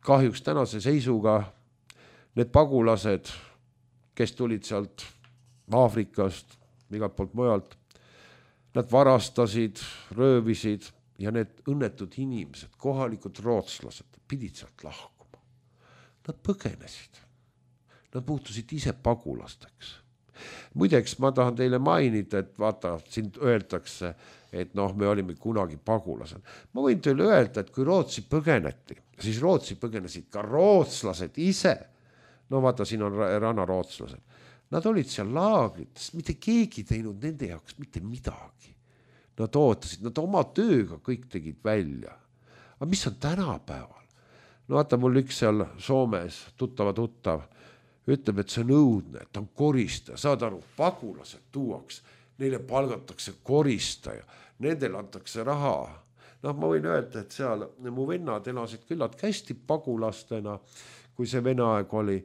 kahjuks tänase seisuga need pagulased, kes tulid sealt Aafrikast, igalt poolt mujalt, nad varastasid, röövisid ja need õnnetud inimesed, kohalikud rootslased, pidid sealt lahkuma. Nad põgenesid. Nad muutusid ise pagulasteks. Muideks ma tahan teile mainida, et vaata, siin öeldakse, et noh, me olime kunagi pagulased. Ma võin teile öelda, et kui Rootsi põgeneti, siis Rootsi põgenesid ka rootslased ise. No vaata, siin on rannarootslased. Nad olid seal laagrites, mitte keegi teinud nende jaoks mitte midagi. Nad ootasid, nad oma tööga kõik tegid välja. Aga mis on tänapäeval? No vaata, mul üks seal Soomes tuttava tuttav ütleb, et see on õudne, et on koristaja. Saad aru, pagulased tuuaks, neile palgatakse koristaja, nendele antakse raha. Noh, ma võin öelda, et seal mu vennad elasid küllalt hästi pagulastena, kui see Vene aeg oli.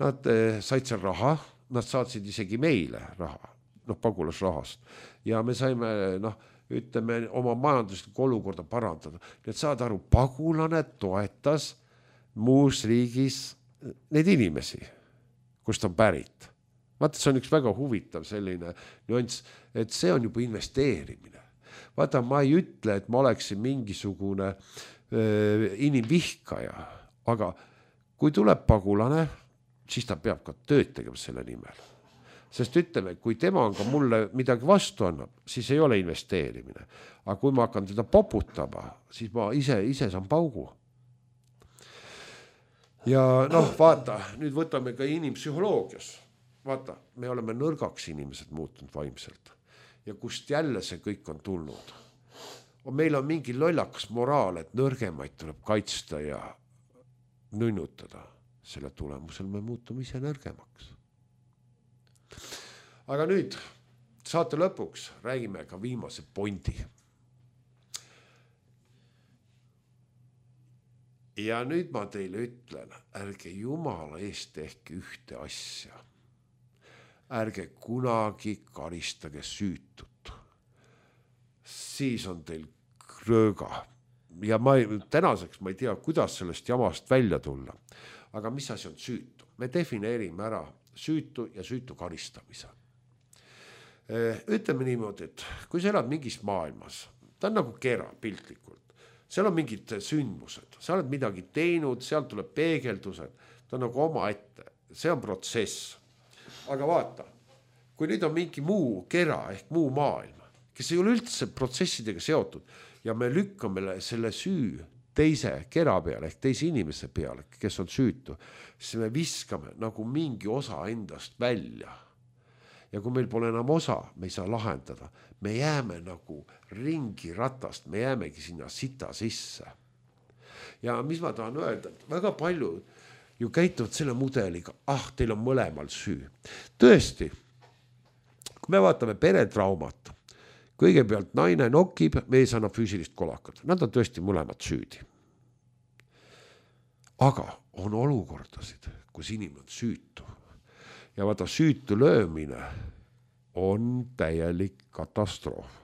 Nad said seal raha, nad saatsid isegi meile raha, noh, pagulasrahast. Ja me saime, noh, ütleme, oma majanduslikku olukorda parandada. Need saad aru, pagulane toetas muus riigis neid inimesi, kust on pärit. Vaata, see on üks väga huvitav selline nüanss, et see on juba investeerimine. Vaata, ma ei ütle, et ma oleksin mingisugune äh, inimvihkaja, aga kui tuleb pagulane, siis ta peab ka tööd tegema selle nimel. Sest ütleme, kui tema on ka mulle midagi vastu annab, siis ei ole investeerimine. Aga kui ma hakkan teda poputama, siis ma ise, ise saan paugu. Ja noh, vaata, nüüd võtame ka inimpsühholoogias. Vaata, me oleme nõrgaks inimesed muutunud vaimselt. Ja kust jälle see kõik on tulnud. Meil on mingi lollakas moraal, et nõrgemaid tuleb kaitsta ja nünnutada. Selle tulemusel me muutume ise nõrgemaks. Aga nüüd saate lõpuks räägime ka viimase pointi. Ja nüüd ma teile ütlen, ärge jumala eest tehke ühte asja. Ärge kunagi karistage süütut. Siis on teil krööga. Ja ma ei, tänaseks ma ei tea, kuidas sellest jamast välja tulla. Aga mis asi on süütu? Me defineerime ära süütu ja süütu karistamise. Ütleme niimoodi, et kui sa elad mingis maailmas, ta on nagu kera piltlikult, seal on mingid sündmused, sa oled midagi teinud, seal tuleb peegeldused, ta on nagu oma ette, see on protsess. Aga vaata, kui nüüd on mingi muu kera ehk muu maailm, kes ei ole üldse protsessidega seotud ja me lükkame selle süü teise kera peale ehk teise inimese peale, kes on süütu, siis me viskame nagu mingi osa endast välja. Ja kui meil pole enam osa, me ei saa lahendada. Me jääme nagu ringi ratast, me jäämegi sinna sita sisse. Ja mis ma tahan öelda, et väga palju ju käituvad selle mudeliga, ah, teil on mõlemal süü. Tõesti, kui me vaatame peretraumat, kõigepealt naine nokib, mees annab füüsilist kolakat. Nad on tõesti mõlemad süüdi. Aga on olukordasid, kus inimene on süütu. Ja vaata, süütu löömine on täielik katastroof.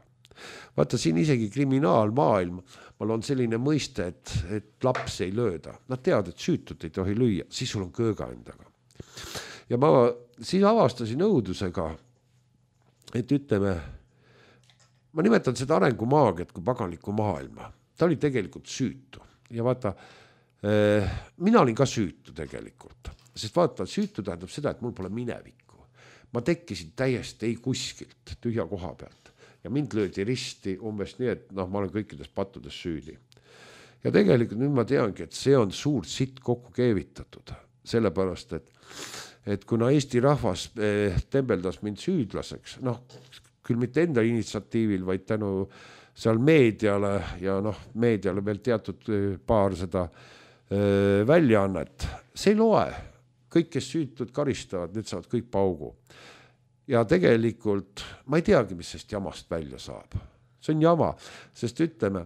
Vaata, siin isegi kriminaalmaailm, mal on selline mõiste, et, et laps ei lööda. Nad teavad, et süütut ei tohi lüüa, siis sul on kööga endaga. Ja ma siis avastasin õudusega, et ütleme, ma nimetan seda arengumaagiat kui paganlikku maailma. Ta oli tegelikult süütu. Ja vaata, eh, mina olin ka süütu tegelikult. Sest vaata, süütu tähendab seda, et mul pole minevikku. Ma tekkisin täiesti ei kuskilt tühja koha pealt. Ja mind löödi risti umbes nii, et noh, ma olen kõikides pattudes süüdi. Ja tegelikult nüüd ma teangi, et see on suurt sitt kokku keevitatud. Sellepärast, et, et kuna Eesti rahvas eh, tembeldas mind süüdlaseks, noh, küll mitte enda initsiatiivil, vaid tänu seal meediale ja noh, meediale veel teatud paar seda eh, väljaannet, see ei loe. Kõik, kes süütud karistavad, need saavad kõik paugu. Ja tegelikult ma ei teagi, mis sest jamast välja saab. See on jama, sest ütleme,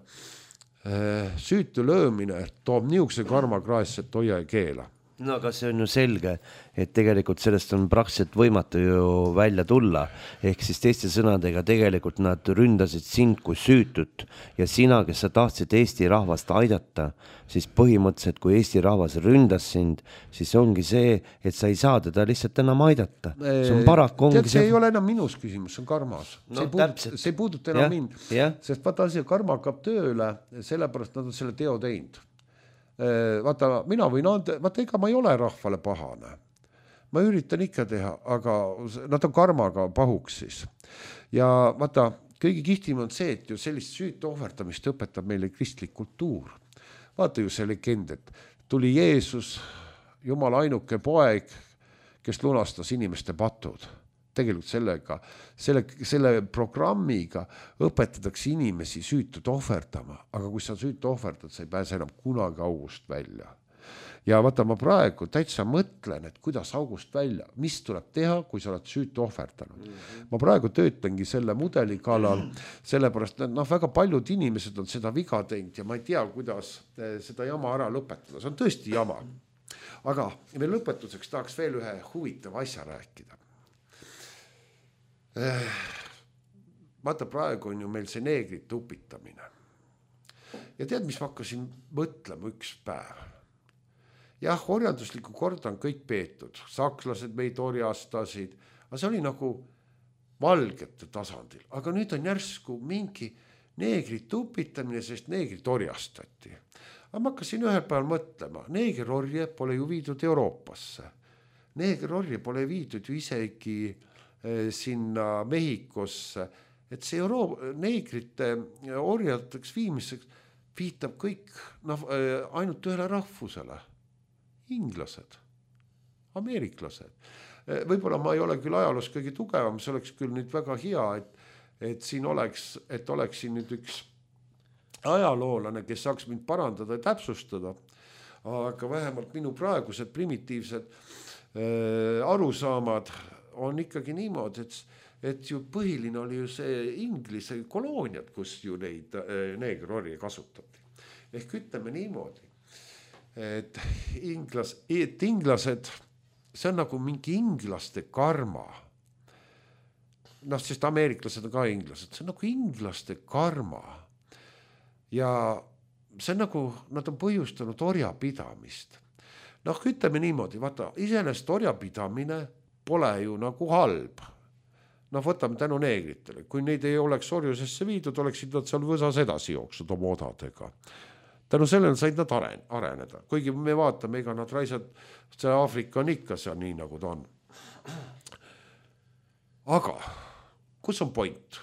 süütu löömine toob niisuguse karmakraesse, et hoia ja keela. No aga see on ju selge, et tegelikult sellest on praktiliselt võimatu ju välja tulla. Ehk siis teiste sõnadega tegelikult nad ründasid sind kui süütut ja sina, kes sa tahtsid Eesti rahvast aidata, siis põhimõtteliselt kui Eesti rahvas ründas sind, siis ongi see, et sa ei saa teda lihtsalt enam aidata. See on paraku ongi Tead, see ei ole enam minus küsimus, see on karmas. No, see, ei puudut, see ei puuduta enam ja, mind, ja. Sest vaata asi, karma hakkab tööle, sellepärast nad on selle teo teinud. Vaata, mina võin anda, vaata, ega ma ei ole rahvale pahane. Ma üritan ikka teha, aga nad on karmaga pahuks siis. Ja vaata, kõige kihtim on see, et ju sellist süütu ohverdamist õpetab meile kristlik kultuur. Vaata ju see legend, et tuli Jeesus, Jumala ainuke poeg, kes lunastas inimeste patud. Tegelikult sellega, selle, selle programmiga õpetatakse inimesi süütut ohverdama, aga kui sa süütu ohverdad, sa ei pääse enam kunagi august välja. Ja vaata, ma praegu täitsa mõtlen, et kuidas august välja, mis tuleb teha, kui sa oled süütu ohverdanud. Mm-hmm. Ma praegu töötangi selle mudeli kallal, sellepärast, et noh, väga paljud inimesed on seda viga teinud ja ma ei tea, kuidas seda jama ära lõpetada. See on tõesti jama. Aga veel lõpetuseks tahaks veel ühe huvitava asja rääkida. Vaata, praegu on ju meil see neegrite upitamine. Ja tead, mis ma hakkasin mõtlema üks päev? Jah, orjandusliku korda on kõik peetud. Sakslased meid orjastasid, aga see oli nagu valgete tasandil. Aga nüüd on järsku mingi neegrite upitamine, sest neegrid orjastati. Aga ma hakkasin ühel päeval mõtlema, neegerorje pole ju viidud Euroopasse. Neegerorje pole viidud ju isegi sinna Mehhikosse, et see Euro- neegrite orjateks viimiseks viitab kõik no, ainult ühele rahvusele. Inglased, ameeriklased. Võib-olla ma ei ole küll ajaloos kõige tugevam, see oleks küll nüüd väga hea, et, et siin oleks, et oleks siin nüüd üks ajaloolane, kes saaks mind parandada ja täpsustada, aga vähemalt minu praegused primitiivsed äh, arusaamad on ikkagi niimoodi, et, et ju põhiline oli ju see Inglise kolooniad, kus ju neid neegrorje kasutati. Ehk ütleme niimoodi, et, inglas, et inglased, see on nagu mingi inglaste karma. Noh, sest ameeriklased on ka inglased, see on nagu inglaste karma. Ja see on nagu, nad on põhjustanud orjapidamist. Noh, ütleme niimoodi, vaata, iseenesest orjapidamine pole ju nagu halb. Noh, võtame tänu neegritele. Kui neid ei oleks orjusesse viidud, oleksid nad seal võsas edasi jooksnud oma odadega. Tänu sellele said nad areneda. Kuigi me vaatame, ega nad raisad, see Aafrika on ikka seal nii, nagu ta on. Aga, kus on point?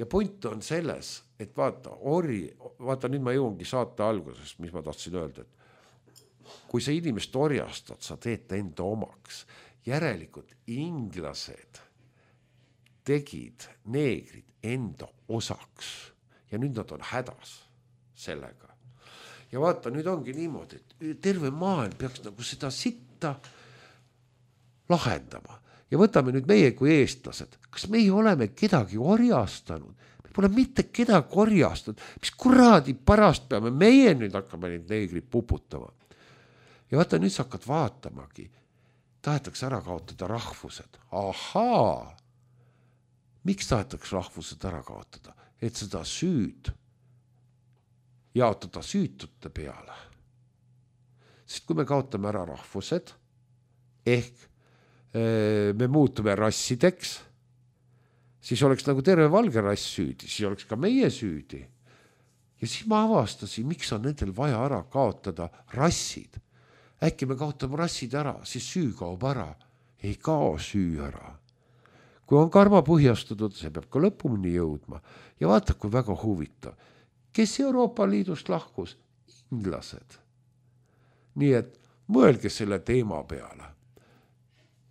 Ja point on selles, et vaata, ori, vaata, nüüd ma jõuangi saate alguses, mis ma tahtsin öelda, et kui sa inimest orjastad, sa teed ta enda omaks. Järelikult inglased tegid neegrid enda osaks ja nüüd nad on hädas sellega. ja vaata, nüüd ongi niimoodi, et terve maailm peaks nagu seda sitta lahendama. Ja võtame nüüd meie kui eestlased. Kas meie oleme kedagi orjastanud? Me pole mitte kedagi orjastanud. Mis kuradi pärast peame? Meie nüüd hakkame neid neegrid puputama. Ja vaata, nüüd sa hakkad vaatamagi. Tahetakse ära kaotada rahvused. Ahaa! Miks tahetakse rahvused ära kaotada? Et seda süüd jaotada süütute peale. Sest kui me kaotame ära rahvused, ehk me muutume rassideks, siis oleks nagu terve valge rass süüdi, siis oleks ka meie süüdi. Ja siis ma avastasin, miks on nendel vaja ära kaotada rassid. Äkki me kaotame rassid ära, siis süü kaob ära. Ei kao süü ära. Kui on karma põhjastatud, see peab ka lõpuni jõudma. Ja vaata, kui väga huvitav. Kes Euroopa Liidust lahkus? Inglased. Nii et mõelge selle teema peale.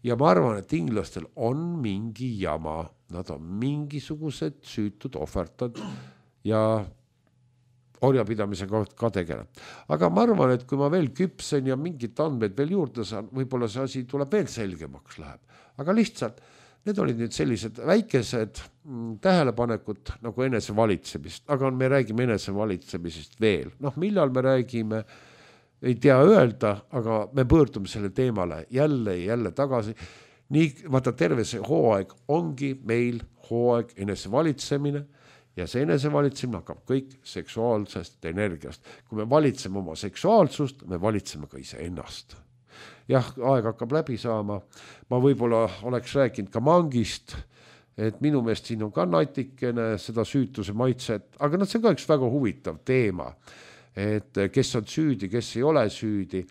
Ja ma arvan, et inglastel on mingi jama. Nad on mingisugused süütud ohvertad ja orjapidamisega ka tegeleb. Aga ma arvan, et kui ma veel küpsen ja mingid andmed veel juurde saan, võib-olla see asi tuleb veel selgemaks läheb. Aga lihtsalt need olid nüüd sellised väikesed tähelepanekud nagu enesevalitsemist, aga me räägime enesevalitsemisest veel. Noh, millal me räägime, ei tea öelda, aga me pöördume selle teemale jälle ja jälle tagasi. Nii, vaata, terve see hooaeg ongi meil hooaeg enesevalitsemine ja see enesevalitsemine hakkab kõik seksuaalsest energiast. Kui me valitseme oma seksuaalsust, me valitseme ka ise ennast. Jah, aeg hakkab läbi saama. Ma võib-olla oleks rääkinud ka mangist, et minu meelest siin on ka natikene seda süütuse maitset, aga no see on ka üks väga huvitav teema, et kes on süüdi, kes ei ole süüdi,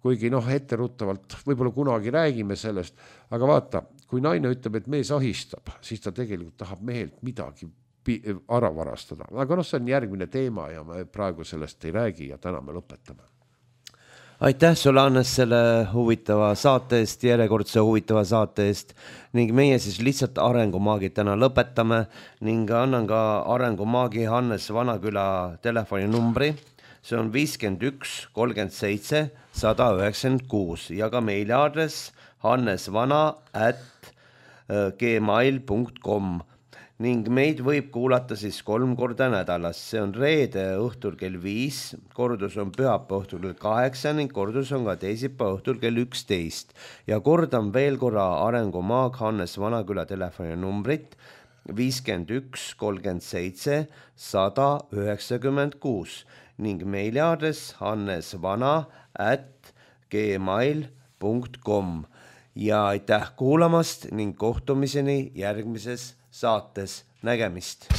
kuigi noh, etteruttavalt võib-olla kunagi räägime sellest, aga vaata, kui naine ütleb, et mees ahistab, siis ta tegelikult tahab mehelt midagi ära varastada. Aga noh, see on järgmine teema ja me praegu sellest ei räägi ja täna me lõpetame. Aitäh sulle, Hannes, selle huvitava saate eest, järjekordse huvitava saate eest ning meie siis lihtsalt arengumaagid täna lõpetame ning annan ka arengumaagi Hannes Vanaküla telefoninumbri. See on viiskümmend üks kolmkümmend seitse sada üheksakümmend kuus ja ka meiliaadress hannesvana at gmail punkt com ning meid võib kuulata siis kolm korda nädalas. See on reede õhtul kell viis, kordus on pühapäeva õhtul kell kaheksa ning kordus on ka teisipäeva õhtul kell üksteist. Ja kordan veel korra arengumaag Hannes Vanaküla telefoninumbrit viiskümmend üks kolmkümmend seitse sada üheksakümmend kuus ning meiliaadress hannesvana at gmail punkt com ja aitäh kuulamast ning kohtumiseni järgmises saates. Nägemist!